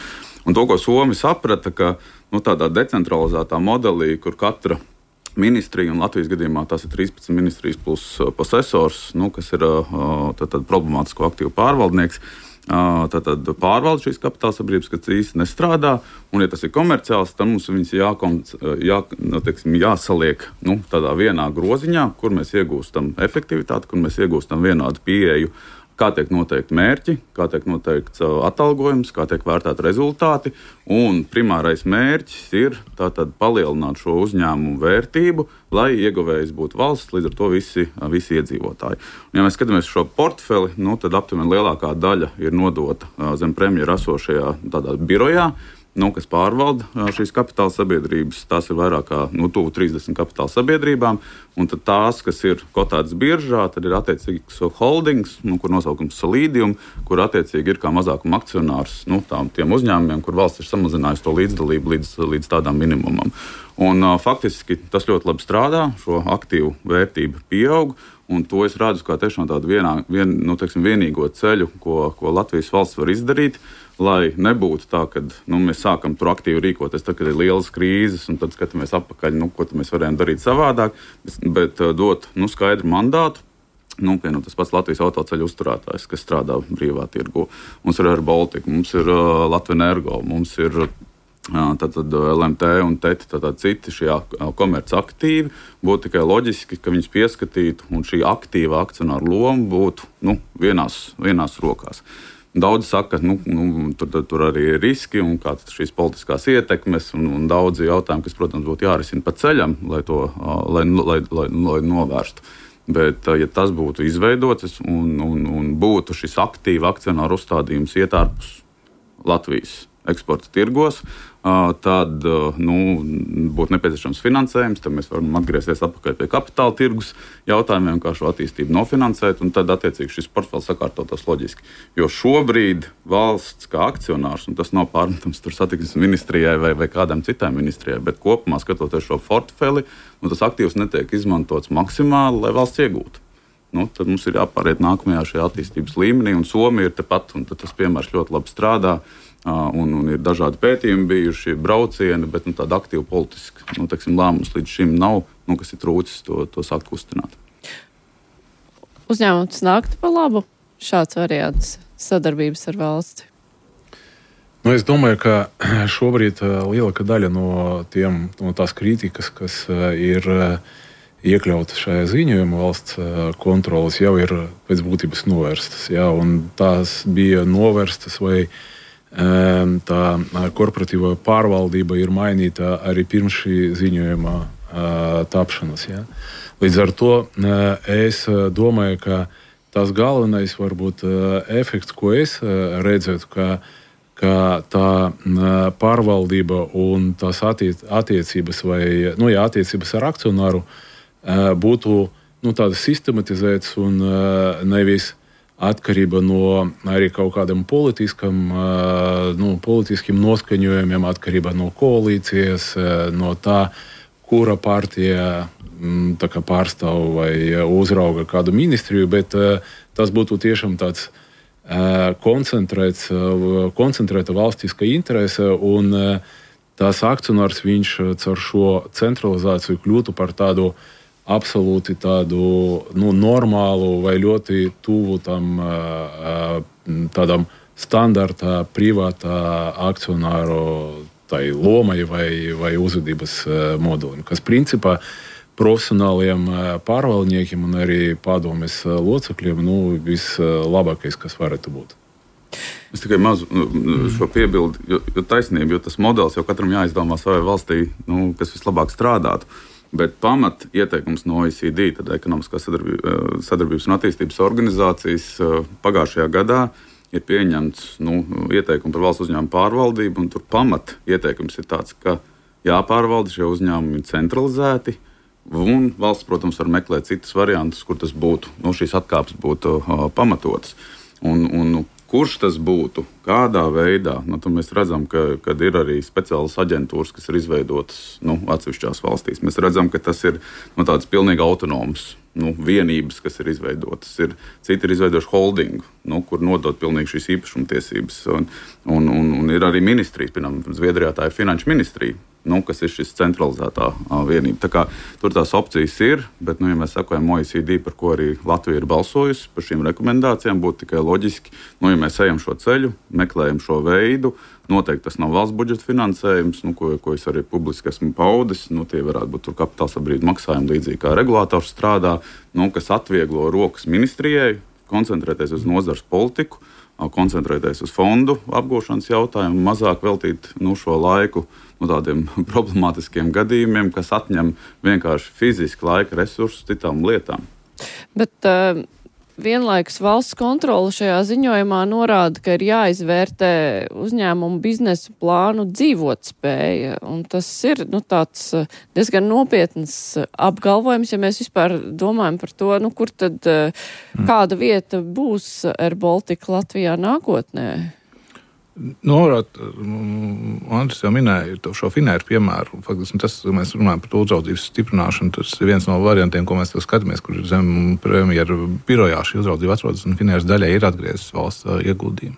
Un to, ko Somi saprata, ka nu, tādā decentralizētā modelī, kur katra ministrija, un Latvijas gadījumā tās ir trīspadsmit ministrijas plus posesors, nu, kas ir tad, tad problemātisko aktīvu pārvaldnieks, Tātad pārvalda šīs kapitāla sabiedrības, kas īsti nestrādā, un, ja tas ir komerciāls, tad mums viņas jākom, jā, nu, teiksim, jāsaliek nu, tādā vienā groziņā, kur mēs iegūstam efektivitāti, kur mēs iegūstam vienādu pieeju, kā tiek noteikti mērķi, kā tiek noteikts atalgojums, kā tiek vērtēti rezultāti, un primārais mērķis ir tātad palielināt šo uzņēmumu vērtību, lai ieguvējs būtu valsts, līdz ar to visi, visi iedzīvotāji. Un, ja mēs skatāmies šo portfeli, nu, tad aptuveni lielākā daļa ir nodota zem premjera esošajā tādā birojā, nu, kas pārvalda šīs kapitāla sabiedrības. Tās ir vairāk kā nu, tuvu trīsdesmit kapitāla sabiedrībām, un tad tās, kas ir kotētas biržā, tad ir attiecīgs holdings, nu, kur nosaukums Solidium, kur attiecīgi ir kā mazākuma akcionārs nu, tām, tiem uzņēmumiem, kur valsts ir samazinājusi to līdzdalību līdz, līdz tādām minimumam. Un, uh, faktiski tas ļoti labi strādā, šo aktīvu vērtību pieaug, un to es redzu kā tiešām tādu vienā, vien, nu, teiksim, vienīgo ceļu, ko, ko Latvijas valsts var izdarīt, lai nebūtu tā, ka nu, mēs sākam tur aktīvi rīkoties, tad, kad ir lielas krīzes, un tad skatāmies atpakaļ, nu, ko mēs varējām darīt savādāk, bet, bet dot nu, skaidru mandātu. Nu, pie, nu, tas pats Latvijas autoceļu uzturētājs, kas strādā brīvā tirgu. Mums ir Air Baltica, mums ir uh, Latvenergo, mums ir uh, tātad L M T un T E T, tātad citi šie komerci aktīvi. Būtu tikai loģiski, ka viņus pieskatītu, un šī aktīva akcionāra loma būtu nu, vienās, vienās rokās. Daudzi saka, ka nu, nu, tur, tur arī ir riski un kādas šīs politiskās ietekmes un, un daudzi jautājumi, kas, protams, būtu jārisina pa ceļam, lai to lai, lai, lai, lai novērstu. Bet, ja tas būtu izveidots un, un, un būtu šis aktīva akcionāru uzstādījums iet ārpus Latvijas eksporta tirgos, tad nu, būtu nepieciešams finansējums, tad mēs varam atgriezties atpakaļ pie kapitāla tirgus jautājumiem, kā šo attīstību nofinansēt, un tad attiecīgi šis portfels sakārtotos loģiski. Jo šobrīd valsts kā akcionārs, un tas nav pārmetams tur satiksmes ministrijai vai, vai kādam citam ministrijai, bet kopumā skatoties šo portfeli, nu, tas aktīvs netiek izmantots maksimāli, lai valsts iegūtu. Nu, tad mums ir jāpāriet nākamajā šajā attīstības līmenī, un Somija ir tepat, un tas piemērs ļoti labi strādā. Uh, un, un ir dažādi pētījumi bijuši, braucieni, bet nu, tāda aktīva politiska nu, teiksim, lēmums līdz šim nav, nu, kas ir trūcis to, to sākt kustināt. Uzņēmums nāktu pa labu šāds variants sadarbības ar valsti? Nu, es domāju, ka šobrīd lielākā daļa no, tiem, no tās kritikas, kas ir iekļautas šajā ziņojumā valsts kontrolas, jau ir pēc būtības novērstas. Jā, un tās bija novērstas vai tā korporatīvā pārvaldība ir mainīta arī pirms šī ziņojuma tapšanas. Ja? Līdz ar to es domāju, ka tas galvenais varbūt efekts, ko es redzētu, ka, ka tā pārvaldība un tās attiec, attiecības vai nu, jā, attiecības ar akcionāru būtu nu, tādas sistematizētas un nevis atkarība no arī kaut kādiem politiskam, nu, politiskiem noskaņojumiem, atkarība no koalīcijas, no tā, kura partija tā kā pārstāv vai uzrauga kādu ministriju, bet tas būtu tiešām tāds koncentrēts, koncentrēta valstiska interese, un tās akcionārs viņš caur šo centralizāciju kļūtu par tādu absolūti tādu nu, normālu vai ļoti tuvu tam tādam standarta privātā akcionāru tai lomai vai, vai uzvedības modelim, kas principā profesionāliem pārvaldniekiem un arī padomes locekļiem nu, vislabākais, kas varētu būt. Es tikai mazu šo piebildu, jo, jo taisnība, jo tas modelis jau katram jāizdomā savai valstī, nu, kas vislabāk strādātu. Bet pamat ieteikums no O E C D, tad ekonomiskās sadarbības un attīstības organizācijas pagājušajā gadā ir pieņemts nu, ieteikumi par valsts uzņēmumu pārvaldību, un tur pamat ieteikums ir tāds, ka jāpārvalda šie uzņēmumi centralizēti, un valsts, protams, var meklēt citus variantus, kur tas būtu, nu, šīs atkāpes būtu uh, pamatotas. Un, un kurš tas būtu, kādā veidā, nu, tad mēs redzam, ka kad ir arī speciālas aģentūras, kas ir izveidotas nu, atsevišķās valstīs. Mēs redzam, ka tas ir nu, tāds pilnīgi autonoms nu, vienības, kas ir izveidotas. Ir, citi ir izveidojuši holdingu, nu, kur nodot pilnīgi šīs īpašumtiesības. Un, un, un, un ir arī ministrijas, piemēram, Zviedrijā tā ir finanšu ministrija, nu, kas ir šis centralizētā uh, vienība. Tā kā tur tās opcijas ir, bet, nu, ja mēs sakojam O E C D, par ko arī Latvija ir balsojusi, par šīm rekomendācijām, būtu tikai loģiski, nu, ja mēs ejam šo ceļu, meklējam šo veidu, noteikti tas nav valsts budžeta finansējums, nu, ko, ko es arī publiski esmu paudis, nu, tie varētu būt tur kapitāla sabiedrību maksājumi līdzīgi kā regulators strādā, nu, kas atvieglo rokas ministrijai, koncentrēties uz nozars politiku, koncentrēties uz fondu apgūšanas jautājumu, mazāk veltīt nu, šo laiku nu, tādiem problemātiskiem gadījumiem, kas atņem vienkārši fiziski laika resursus citām lietām. Bet uh, vienlaikus valsts kontrole šajā ziņojumā norāda, ka ir jāizvērtē uzņēmumu biznesa plānu dzīvotspēja, un tas ir nu, tāds diezgan nopietns apgalvojums, ja mēs vispār domājam par to, nu, kur tad kāda vieta būs Air Baltica Latvijā nākotnē. Nu, varētu, Andris jau minēja šo Finēru piemēru. Faktiski tas, mēs runājam par to uzraudzības stiprināšanu, tas ir viens no variantiem, ko mēs skatāmies, kur zem premjera birojā šī uzraudzība atrodas, un Finēras daļai ir atgriezis valsts ieguldījumi.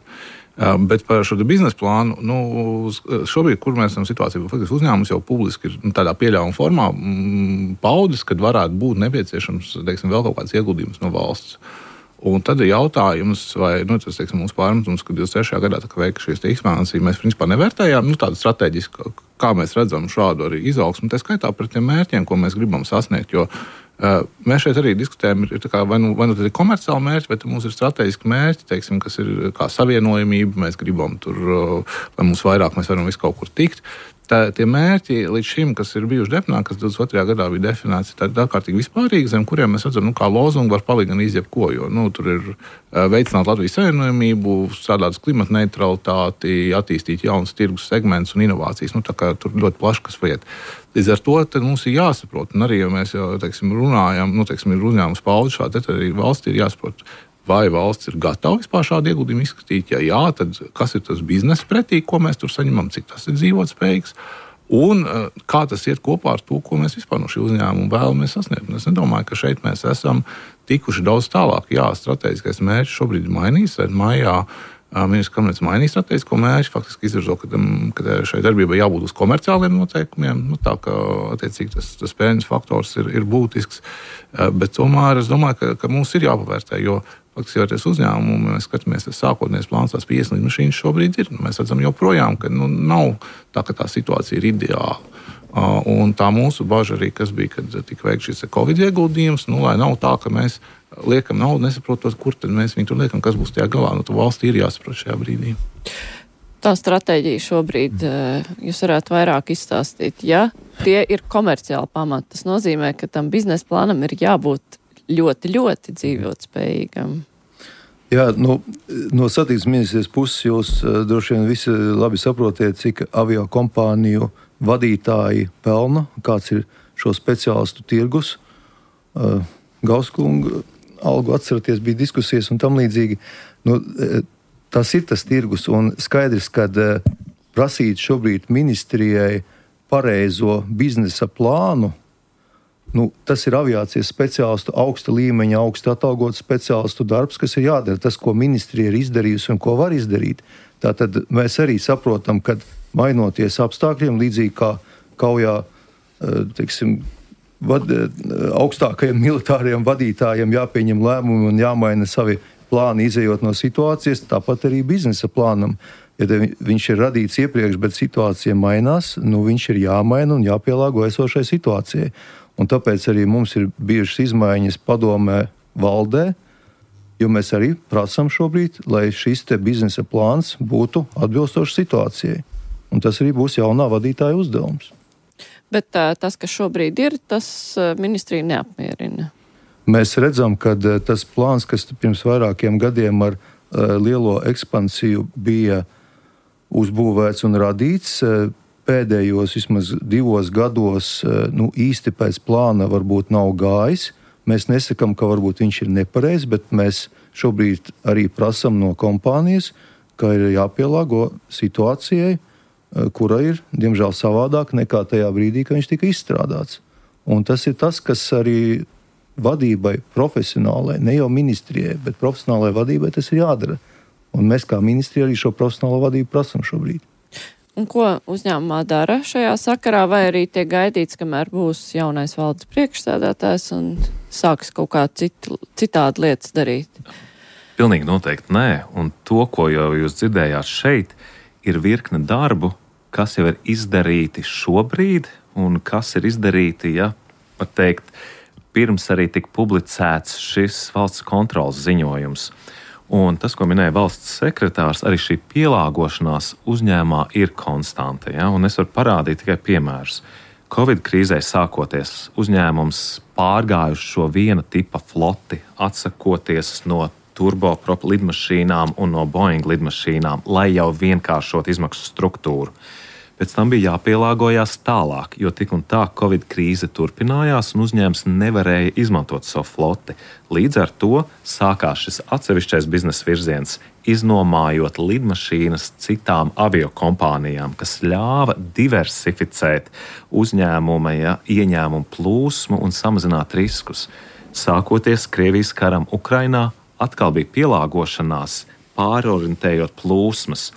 Bet par šo biznesa plānu, nu, šobrīd, kur mēs esam situācijā, faktiski uzņēmums jau publiski ir nu, tādā pieļaujuma formā paudis, kad varētu būt nepieciešams, teiksim, vēl kaut kāds ieguldījums no valsts. Un tad ir jautājums, vai nu, tas, teiksim, mūsu pārmetums, ka divdesmit trešajā gadā tā, veika šīs ekspansijas, mēs principā nevērtējām nu, tādu strateģisku, kā mēs redzam šādu arī izaugsmu, tā skaitā par tiem mērķiem, ko mēs gribam sasniegt, jo uh, mēs šeit arī diskutējam, ir tā kā vai nu, vai nu tad ir komerciāli mērķi, vai mums ir strateģiski mērķi, teiksim, kas ir kā savienojamība, mēs gribam tur, uh, lai mums vairāk mēs varam visu kaut kur tikt. Tā, tie mērķi līdz šim, kas ir bijuši definēti, kas divdesmit otrajā gadā bija definēts, ir ārkārtīgi vispārīgi, zem kuriem mēs redzam, nu, kā lozungu var palikt gan izjebko, jo nu, tur ir veicināt Latvijas savienojamību, strādāt uz klimata neutralitāti, attīstīt jaunus tirgus segmentus un inovācijas. Nu, tā kā tur ļoti plaši kas vajag. Līdz ar to tad mums ir jāsaprot, un arī, ja mēs jau, teiksim, runājam, nu, teiksim, ir uzņēmums paudis šādi, tad arī valsts ir jāsaprot, vai valsts ir gatava vispār šādu ieguldījumu izskatīt. Ja jā, tad kas ir tas biznesa pretī, ko mēs tur saņemam, cik tas ir dzīvotspējīgs, un kā tas iet kopā ar to, ko mēs vispār no šī uzņēmuma vēlamies sasniegt. Es nedomāju, ka šeit mēs esam tikuši daudz tālāk. Jā, strateģiskais mērķis šobrīd ir mainījis. Maijā ministrs kabinets mainīja strateģisko mērķi, faktiski izvirzo, ka, ka šai darbībai jābūt uz komerciāliem noteikumiem, nu, tā kā attiecīgi tas, tas peļņas faktors ir, ir būtisks. Bet tomēr es domāju, ka, ka mums ir jāpavērtē, jo faktiski jau ties uzņēmumu, mēs skatāmies, tas sākotnējais plāns, tās piecdesmit mašīnas šobrīd ir. Mēs redzam joprojām, ka nu, nav tā, ka tā situācija ir ideāla. Uh, un tā mūsu baža arī, kas bija, kad tika veikts šis Covid ieguldījums, nu, lai nav tā, ka mēs liekam naudu, nesaprotot, kur tad mēs viņu tur liekam, kas būs tajā galā. Nu, tā valstī ir jāsaprot šajā brīdī. Tā stratēģija šobrīd jūs varētu vairāk izstāstīt. Ja tie ir komerciāli pamati, tas nozīmē, ka tam biznesa plānam ir jābūt ļoti, ļoti dzīvotspējīgam. Jā, nu, no satiksmes ministrijas puses jūs uh, droši vien visi labi saprotiet, cik avio kompāniju vadītāji pelna, kāds ir šo speciālistu tirgus. Uh, Gauskunga algu atceraties, bija diskusijas un tam līdzīgi. Nu, tas ir tas tirgus un skaidrs, kad uh, prasīt šobrīd ministrijai pareizo biznesa plānu, nu, tas ir aviācijas speciālistu augsta līmeņa, augsta atalgotu speciālistu darbs, kas ir jādara. Tas, ko ministrija ir izdarījusi un ko var izdarīt. Tātad mēs arī saprotam, ka mainoties apstākļiem, līdzīgi kā kaujā, teiksim, vad, augstākajiem militāriem vadītājiem jāpieņem lēmumi un jāmaina savi plāni, izejot no situācijas, tāpat arī biznesa plānam. Ja viņš ir radīts iepriekš, bet situācija mainās, nu viņš ir jāmaina un jāpielāgo esošai situācijai. Un tāpēc arī mums ir bijušas izmaiņas padomē valdē, jo mēs arī prasam šobrīd, lai šis te biznesa plāns būtu atbilstošs situācijai. Un tas arī būs jaunā vadītāja uzdevums. Bet tā, tas, kas šobrīd ir, tas ministrija neapmierina. Mēs redzam, ka tas plāns, kas pirms vairākiem gadiem ar uh, lielo ekspansiju bija uzbūvēts un radīts, uh, pēdējos vismaz divos gados nu, īsti pēc plāna varbūt nav gājis. Mēs nesakām, ka varbūt viņš ir nepareizs, bet mēs šobrīd arī prasam no kompānijas, ka ir jāpielāgo situācijai, kura ir, diemžēl, savādāk nekā tajā brīdī, kad viņš tika izstrādāts. Un tas ir tas, kas arī vadībai profesionālai, ne jau ministrijai, bet profesionālai vadībai tas ir jādara. Un mēs kā ministrija arī šo profesionālo vadību prasam šobrīd. Un ko uzņēmumā dara šajā sakarā, vai arī tiek gaidīts, kamēr būs jaunais valdes priekšsēdētājs un sāks kaut kā cit, citādi lietas darīt? Pilnīgi noteikti nē. Un to, ko jau jūs dzirdējāt šeit, ir virkne darbu, kas jau ir izdarīti šobrīd un kas ir izdarīti, ja, var teikt, pirms arī tika publicēts šis valsts kontroles ziņojums. Un tas, ko minēja valsts sekretārs, arī šī pielāgošanās uzņēmumā ir konstanta. Ja? Un es varu parādīt tikai piemērus. Covid krīzē sākoties, uzņēmums pārgājuši šo viena tipa floti, atsakoties no turboprop lidmašīnām un no Boeing lidmašīnām, lai jau vienkāršot izmaksu struktūru. Pēc tam bija jāpielāgojās tālāk, jo tik un tā Covid krīze turpinājās un uzņēmums nevarēja izmantot savu floti. Līdz ar to sākās šis atsevišķais biznesa virziens, iznomājot lidmašīnas citām aviokompānijām, kas ļāva diversificēt uzņēmuma ja, ieņēmumu plūsmu un samazināt riskus. Sākoties Krievijas karam Ukrainā, atkal bija pielāgošanās, pārorientējot plūsmas.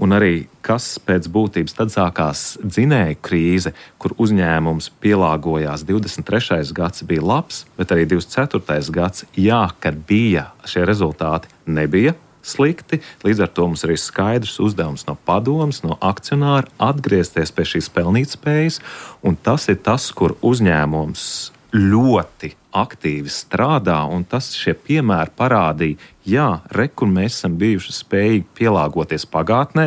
Un arī, kas pēc būtības tad sākās dzinēju krīze, kur uzņēmums pielāgojās. divdesmit trešais gads bija labs, bet arī divdesmit ceturtais gads, jā, kad bija šie rezultāti, nebija slikti. Līdz ar to mums ir skaidrs uzdevums no padomes, no akcionāra atgriezties pie šīs pelnītspējas. Un tas ir tas, kur uzņēmums ļoti aktīvi strādā, un tas šie piemēri parādīja, jā, re, kur mēs esam bijuši spējīgi pielāgoties pagātnē,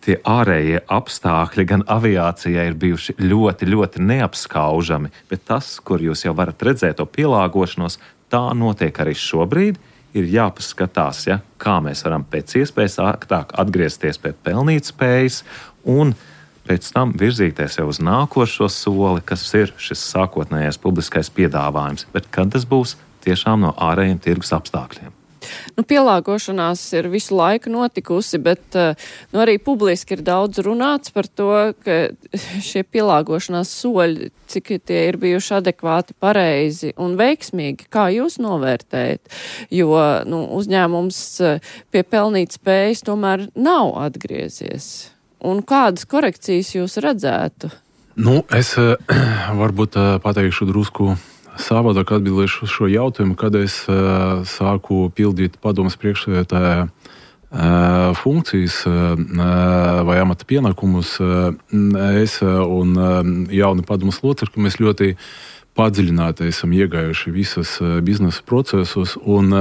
tie ārējie apstākļi gan aviācijai ir bijuši ļoti, ļoti neapskaužami, bet tas, kur jūs jau varat redzēt to pielāgošanos, tā notiek arī šobrīd, ir jāpaskatās, ja, kā mēs varam pēc iespējas ātrāk atgriezties pie pelnītspējas un pēc tam virzīties jau uz nākošo soli, kas ir šis sākotnējais publiskais piedāvājums. Bet kad tas būs tiešām no ārējiem tirgus apstākļiem? Nu, pielāgošanās ir visu laiku notikusi, bet nu, arī publiski ir daudz runāts par to, ka šie pielāgošanās soļi, cik tie ir bijuši adekvāti, pareizi un veiksmīgi. Kā jūs novērtējat? Jo nu, uzņēmums pie pelnīt spējas tomēr nav atgriezies. Un kādas korekcijas jūs redzētu? Nu, es varbūt pateikšu drusku savādāk atbildēšu uz šo jautājumu, kad es sāku pildīt padomes priekšsēdētāja funkcijas vai amata pienākumus. Es un jauni padomes locekļi, mēs ļoti padziļināti esam iegājuši visas biznesa procesus, un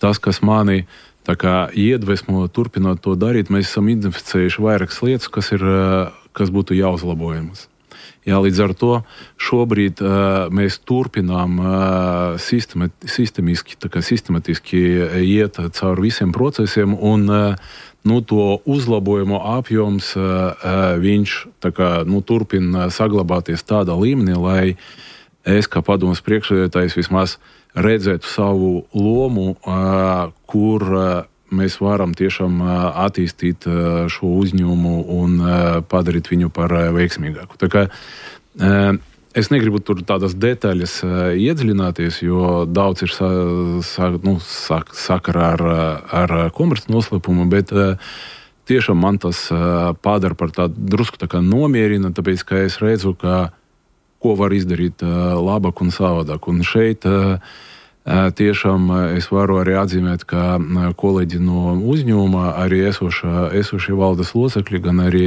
tas, kas mani tā kā iedvesmo turpināt to darīt, mēs esam identificējuši vairākas lietas, kas, ir, kas būtu jāuzlabojamas. Jā, līdz ar to šobrīd uh, mēs turpinām uh, sistemat, sistemiski, tā kā sistematiski iet cauri visiem procesiem, un uh, nu, to uzlabojumu apjoms uh, viņš tā kā, nu, turpina saglabāties tādā līmenī, lai es kā padomes priekšsēdētājs vismaz redzētu savu lomu, uh, kur uh, mēs varam tiešām attīstīt šo uzņēmumu un padarīt viņu par veiksmīgāku. Tā kā es negribu tur tādas detaļas iedziļināties, jo daudz ir sa, sa, nu, sak, sakarā ar, ar komerci noslēpumu, bet tiešām man tas padara par tādu drusku tā kā nomierina, tāpēc, ka es redzu, ka ko var izdarīt labāk un savādāk. Un šeit tiešām es varu arī atzīmēt, ka kolēģi no uzņēmuma, arī esošā, esošie valdes locekļi, gan arī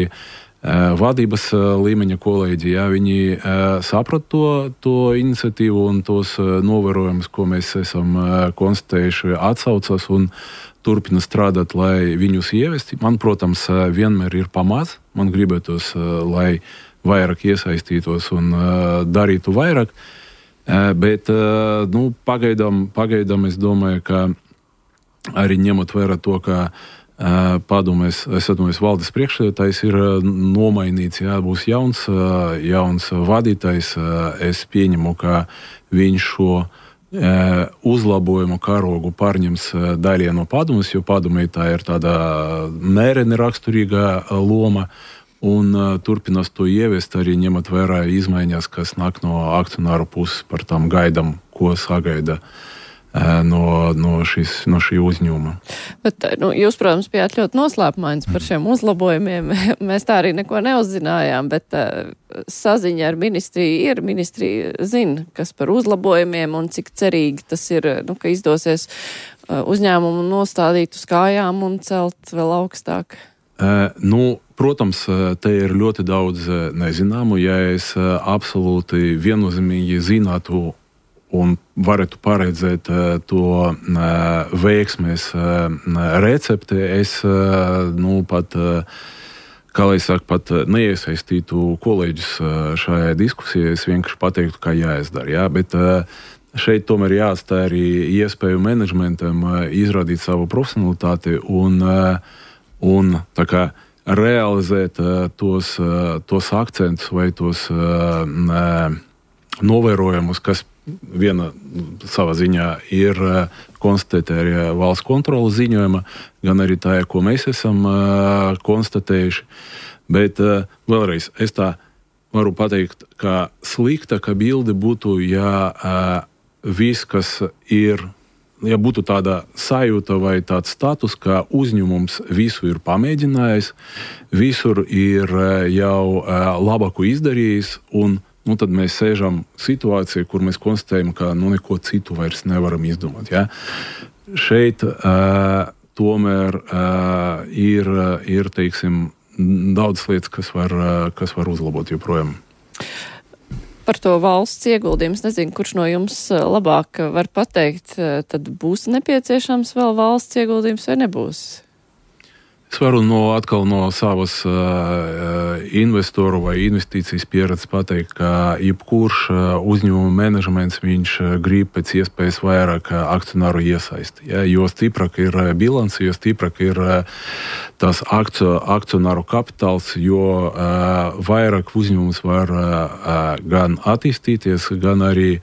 vadības līmeņa kolēģi, jā, viņi saprat to, to iniciatīvu un tos novērojumus, ko mēs esam konstatējuši, atsaucas un turpina strādāt, lai viņus ievesti. Man, protams, vienmēr ir pamats. Man gribētos, lai vairāk iesaistītos un darītu vairāk. Bet nu, pagaidām, pagaidām es domāju, ka arī ņemot vērā to, ka padomēs, es atdomāju, valdes priekšsēdētājs ir nomainīts, jā, būs jauns, jauns vadītājs. Es pieņemu, ka viņš šo uzlabojumu karogu pārņems daļai no padomes, jo padomē tā ir tāda mēreni raksturīga loma un turpinās to ieviest arī ņemot vērā izmaiņas, kas nāk no akcionāru puses, par tām gaidām, ko sagaida No, no, šis, no šī uzņēmuma. Bet, nu, jūs, protams, bijāt ļoti noslēpumains par šiem uzlabojumiem. Mēs tā arī neko neuzzinājām, bet uh, saziņa ar ministriju ir. Ministrija zina, kas par uzlabojumiem un cik cerīgi tas ir, nu, ka izdosies uh, uzņēmumu nostādīt uz kājām un celt vēl augstāk. Uh, nu, protams, te ir ļoti daudz nezināmu. Ja es uh, absolūti viennozīmīgi zinātu un varētu paredzēt to veiksmes recepti, es, nu, pat, kā lai saka, pat neiesaistītu kolēģus šajā diskusijā, es vienkārši pateiktu, kā jāizdara, jā, bet šeit tomēr jāatstāj arī iespēju menedžmentam izrādīt savu profesionalitāti un, un tā kā realizēt tos, tos akcentus vai tos novērojumus, kas viena savā ziņā ir konstatēta arī valsts kontrolas ziņojuma, gan arī tā, ko mēs esam konstatējuši. Bet vēlreiz, es tā varu pateikt, ka sliktāka bilde būtu, ja viss, kas ir, ja būtu tāda sajūta vai tāds status, ka uzņēmums visu ir pamēģinājis, visur ir jau labāku izdarījis un nu, tad mēs sēžam situācijā, kur mēs konstatējam, ka nu, neko citu vairs nevaram izdomāt. Ja? Šeit uh, tomēr uh, ir, ir teiksim, daudz lietas, kas var, uh, kas var uzlabot joprojām. Par to valsts ieguldījumu, es nezinu, kurš no jums labāk var pateikt, tad būs nepieciešams vēl valsts ieguldījums vai nebūs? Es varu no, atkal no savas uh, investoru vai investīcijas pieredzes pateikt, ka jebkurš uh, uzņēmuma menedžments viņš uh, grib pēc iespējas vairāk uh, akcionāru iesaisti. Ja? Jo stiprāk ir uh, bilance, jo stiprāk ir uh, tas akcio, akcionāru kapitāls, jo uh, vairāk uzņēmums var uh, uh, gan attīstīties, gan arī,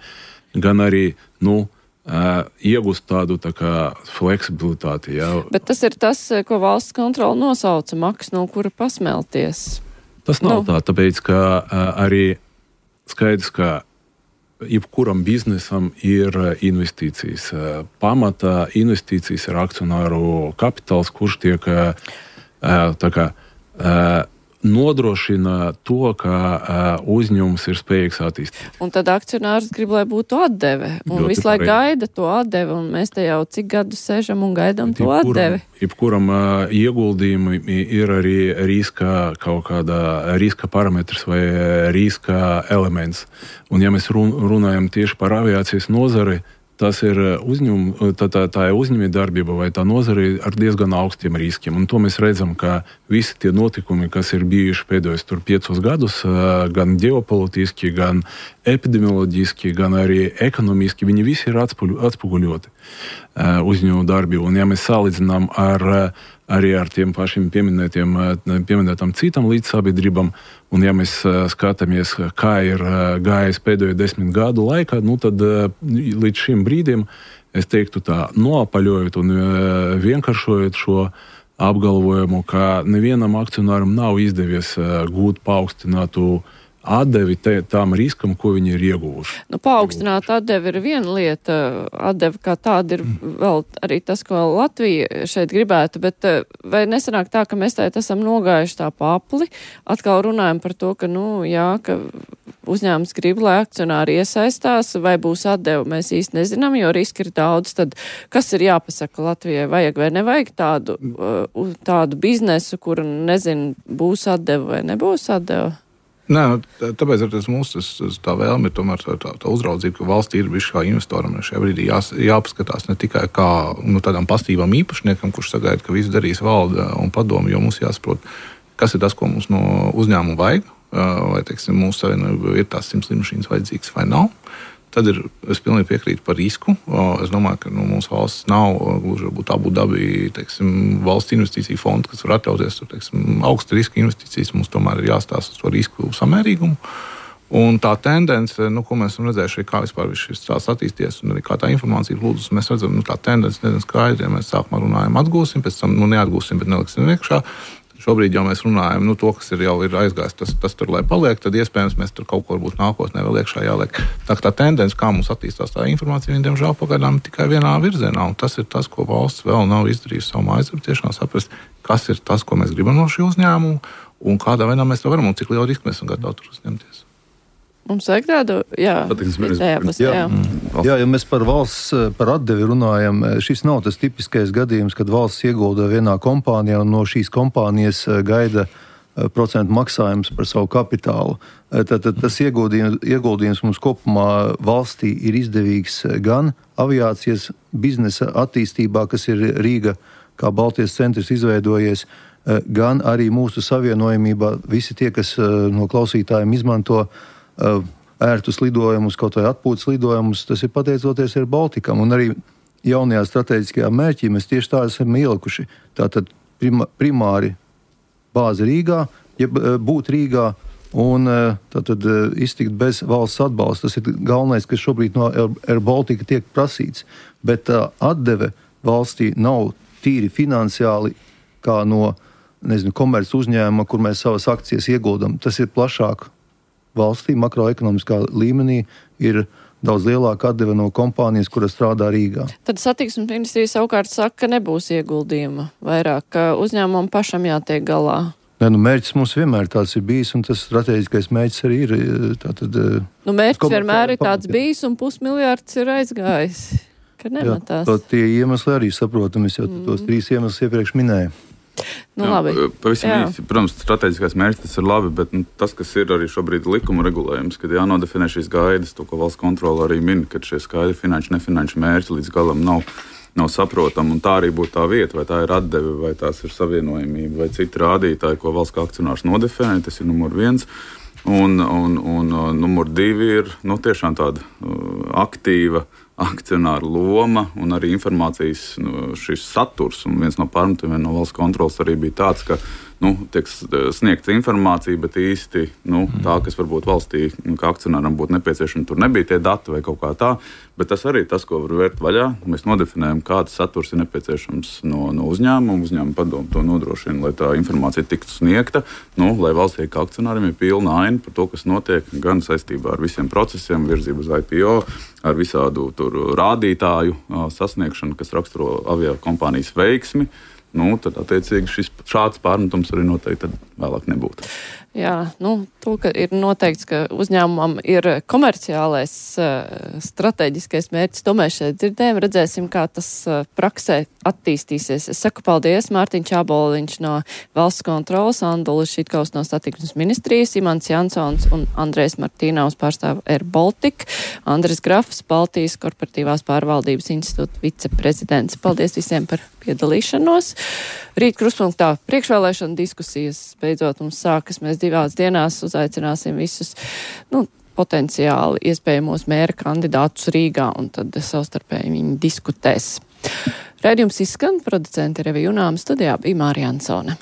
gan arī nu, Uh, iegūst tādu tā kā fleksibilitāti. Jā. Bet tas ir tas, ko valsts kontrola nosauca, maks, no kura pasmelties. Tas nav nu. tā, tāpēc, ka uh, arī skaidrs, ka jebkuram biznesam ir investīcijas. Uh, pamatā investīcijas ir akcionāru kapitāls, kurš tiek uh, tā kā uh, nodrošina to, ka uh, uzņēmums ir spējīgs attīstīt. Un tad akcionārs grib, lai būtu atdeve. Un Ļoti visu laiku pareizi. gaida to atdevi, un mēs te jau cik gadus sēžam un gaidām to Jebkuram, atdevi. jebkuram uh, ieguldījumi ir arī riska kaut kāda riska parametrs vai riska elements. Un ja mēs run, runājam tieši par aviācijas nozari, tas ir uzņēmum, tā, tā, tā ir uzņēmēja darbība vai tā nozare ar diezgan augstiem riskiem. Un to mēs redzam, ka visi tie notikumi, kas ir bijuši pēdējos tur piecus gadus, gan ģeopolitiski, gan epidemioloģiski, gan arī ekonomiski, viņi visi ir atspoguļoti uzņēmumu darbību. Un ja mēs salīdzinām ar, arī ar tiem pašiem pieminētiem, pieminētām citām līdzsabiedrībām, un ja mēs skatāmies, kā ir gājis pēdējo desmit gadu laikā, nu tad līdz šim brīdim es teiktu tā, noapaļojot un vienkāršojot šo apgalvojumu, ka nevienam akcionāram nav izdevies gūt paaugstinātu atdevi te, tām riskam, ko viņi ir ieguvuši. Nu, paaugstināt atdevi ir viena lieta, atdevi kā tāda ir vēl arī tas, ko Latvija šeit gribētu, bet vai nesanāk tā, ka mēs tēt esam nogājuši tā papli, atkal runājam par to, ka, nu, jā, ka uzņēmums grib, lai akcionāri iesaistās, vai būs atdevi, mēs īsti nezinām, jo riski ir daudz, tad kas ir jāpasaka Latvijai, vajag vai nevajag tādu, tādu biznesu, kur, nezinu, būs atdevi vai nebūs atdevi? Nē, tāpēc ar tas mūsu tas, tas, tā vēlme ir tomēr tā, tā, tā uzraudzība, ka valstī ir bijuši kā investoram šajā brīdī jās, jāpaskatās ne tikai kā nu, tādām pastīvām īpašniekam, kurš sagaida, ka viss darīs valde un padomu, jo mums jāsaprot, kas ir tas, ko mums no uzņēmuma vajag, vai, teiksim, mūsu savienība ir tās simts lidmašīnas vajadzīgas vai nav. Tad ir, es pilnīgi piekrītu par risku. Es domāju, ka nu, mūsu valsts nav gluži varbūt Abu Dabi, teiksim, valsts investīcija fonda, kas var atļauties teiksim, augsta riska investīcijas. Mums tomēr ir jāstāsta uz to risku samērīgumu. Un tā tendence, nu, ko mēs esam redzējuši, kā vispār šis stāsts attīstījies un arī kā tā informācija plūdus, mēs redzam, nu, tā tendence nedaudz skaidri, ja mēs sākumā runājam atgūsim, pēc tam nu, neatgūsim, bet neliksim iekšā. Šobrīd jau mēs runājam, nu, to, kas ir jau ir aizgājis, tas, tas tur, lai paliek, tad iespējams mēs tur kaut ko varbūt nākotnē vēl iekšā jāliek. Tā, tā tendence, kā mums attīstās tā informācija, viņa, diemžēl, pagaidām tikai vienā virzienā, un tas ir tas, ko valsts vēl nav izdarījusi savu aizrabtiešanā, saprast, kas ir tas, ko mēs gribam no šī uzņēmuma, un kādā veidā mēs to varam, un cik lielu risku mēs esam gatavi tur uzņemties. Mums vajag tādu, jā, jā, jā. jā, ja mēs par valsts, par atdevi runājam, šis nav tas tipiskais gadījums, kad valsts iegulda vienā kompānijā un no šīs kompānijas gaida procentu maksājums par savu kapitālu. Tātad tas ieguldījums, ieguldījums mums kopumā valstī ir izdevīgs gan aviācijas biznesa attīstībā, kas ir Rīga kā Baltijas centrs izveidojies, gan arī mūsu savienojumībā visi tie, kas no klausītājiem izmanto ērtus lidojumus, kaut vai atpūtas lidojumus, tas ir pateicoties Air Balticam. Un arī jaunajā strateģiskajā mērķī mēs tieši tā esam ielikuši. Tātad prima, primāri bāze Rīgā, ja būt Rīgā un tātad iztikt bez valsts atbalsta. Tas ir galvenais, kas šobrīd no Air Baltica tiek prasīts. Bet tā atdeve valstī nav tīri finansiāli kā no, nezinu, komerc uzņēmuma, kur mēs savas akcijas ieguldam. Tas ir plašāk. Valstī makroekonomiskā līmenī ir daudz lielāka atdeve no kompānijas, kura strādā Rīgā. Tad satiksmes ministrija savukārt saka, ka nebūs ieguldījuma vairāk, ka uzņēmumam pašam jātiek galā. Nē, nu mērķis mums vienmēr tāds ir bijis, un tas strateģiskais mērķis arī ir. Tātad, nu mērķis vienmēr ir tāds bijis, un pusmiljārds ir aizgājis, ka nematās. Jā, tie iemesli arī saprotam, es jau mm. tos trīs iemeslus iepriekš minēju. Nu, labi. Pavisam īsi, protams, strateģiskais mērķis tas ir labi, bet nu, tas, kas ir arī šobrīd likuma regulējums, kad jānodefinē šīs gaidas, to, ko valsts kontrole arī min, kad šie skaidri finanšu, nefinanšu mērķi līdz galam nav, nav saprotami, un tā arī būtu tā vieta, vai tā ir atdeve, vai tās ir savienojumība, vai citi rādītāji, ko valsts kā akcionārs nodefinē, tas ir numur viens. Un, un, un numur divi ir nu, tiešām tāda uh, aktīva akcionāra loma un arī informācijas nu, šis saturs. Un viens no pārmetumiem no valsts kontrolas arī bija tāds, ka nu, tiek sniegta informācija, bet īsti nu, tā, kas varbūt valstī nu, kā akcionāram būtu nepieciešama, tur nebija tie dati vai kaut kā tā. Bet tas arī tas, ko var vērt vaļā. Mēs nodefinējam, kāds saturs ir nepieciešams no, no uzņēmuma. Uzņēmuma padomu to nodrošina, lai tā informācija tiktu sniegta, nu, lai valstī kā akcionāriem ir pilna aina par to, kas notiek gan saistībā ar visiem procesiem, virzību uz I P O, ar visādu tur rādītāju sasniegšanu, kas raksturo avio kompānijas veiksmi. Nu, tad, attiecīgi, šis šāds pārmetums arī noteikti vēlāk nebūtu. Jā, nu, to, ka ir noteikts, ka uzņēmumam ir komerciālais uh, strateģiskais mērķis, to mēs šeit dzirdējam, redzēsim, kā tas uh, praksē attīstīsies. Es saku paldies Mārtiņš Čāboliņš no Valsts kontrolas, Andulis Šitkaus no Satiksmes ministrijas, Imants Jansons un Andrejs Martīnaus pārstāv Air Baltic, Andris Grafs, Baltijas korporatīvās pārvaldības institūta viceprezidents. Paldies visiem par piedalīšanos. Rīt Krustpunktā priekšvēlēšana diskusijas beidzot mums sākas. Mēs divās dienās uzaicināsim visus nu, potenciāli iespējamos mēra kandidātus Rīgā, un tad savstarpēji viņi diskutēs. Raidījums izskan, producenti Revija Junāma, studijā bija Mārija Ansone.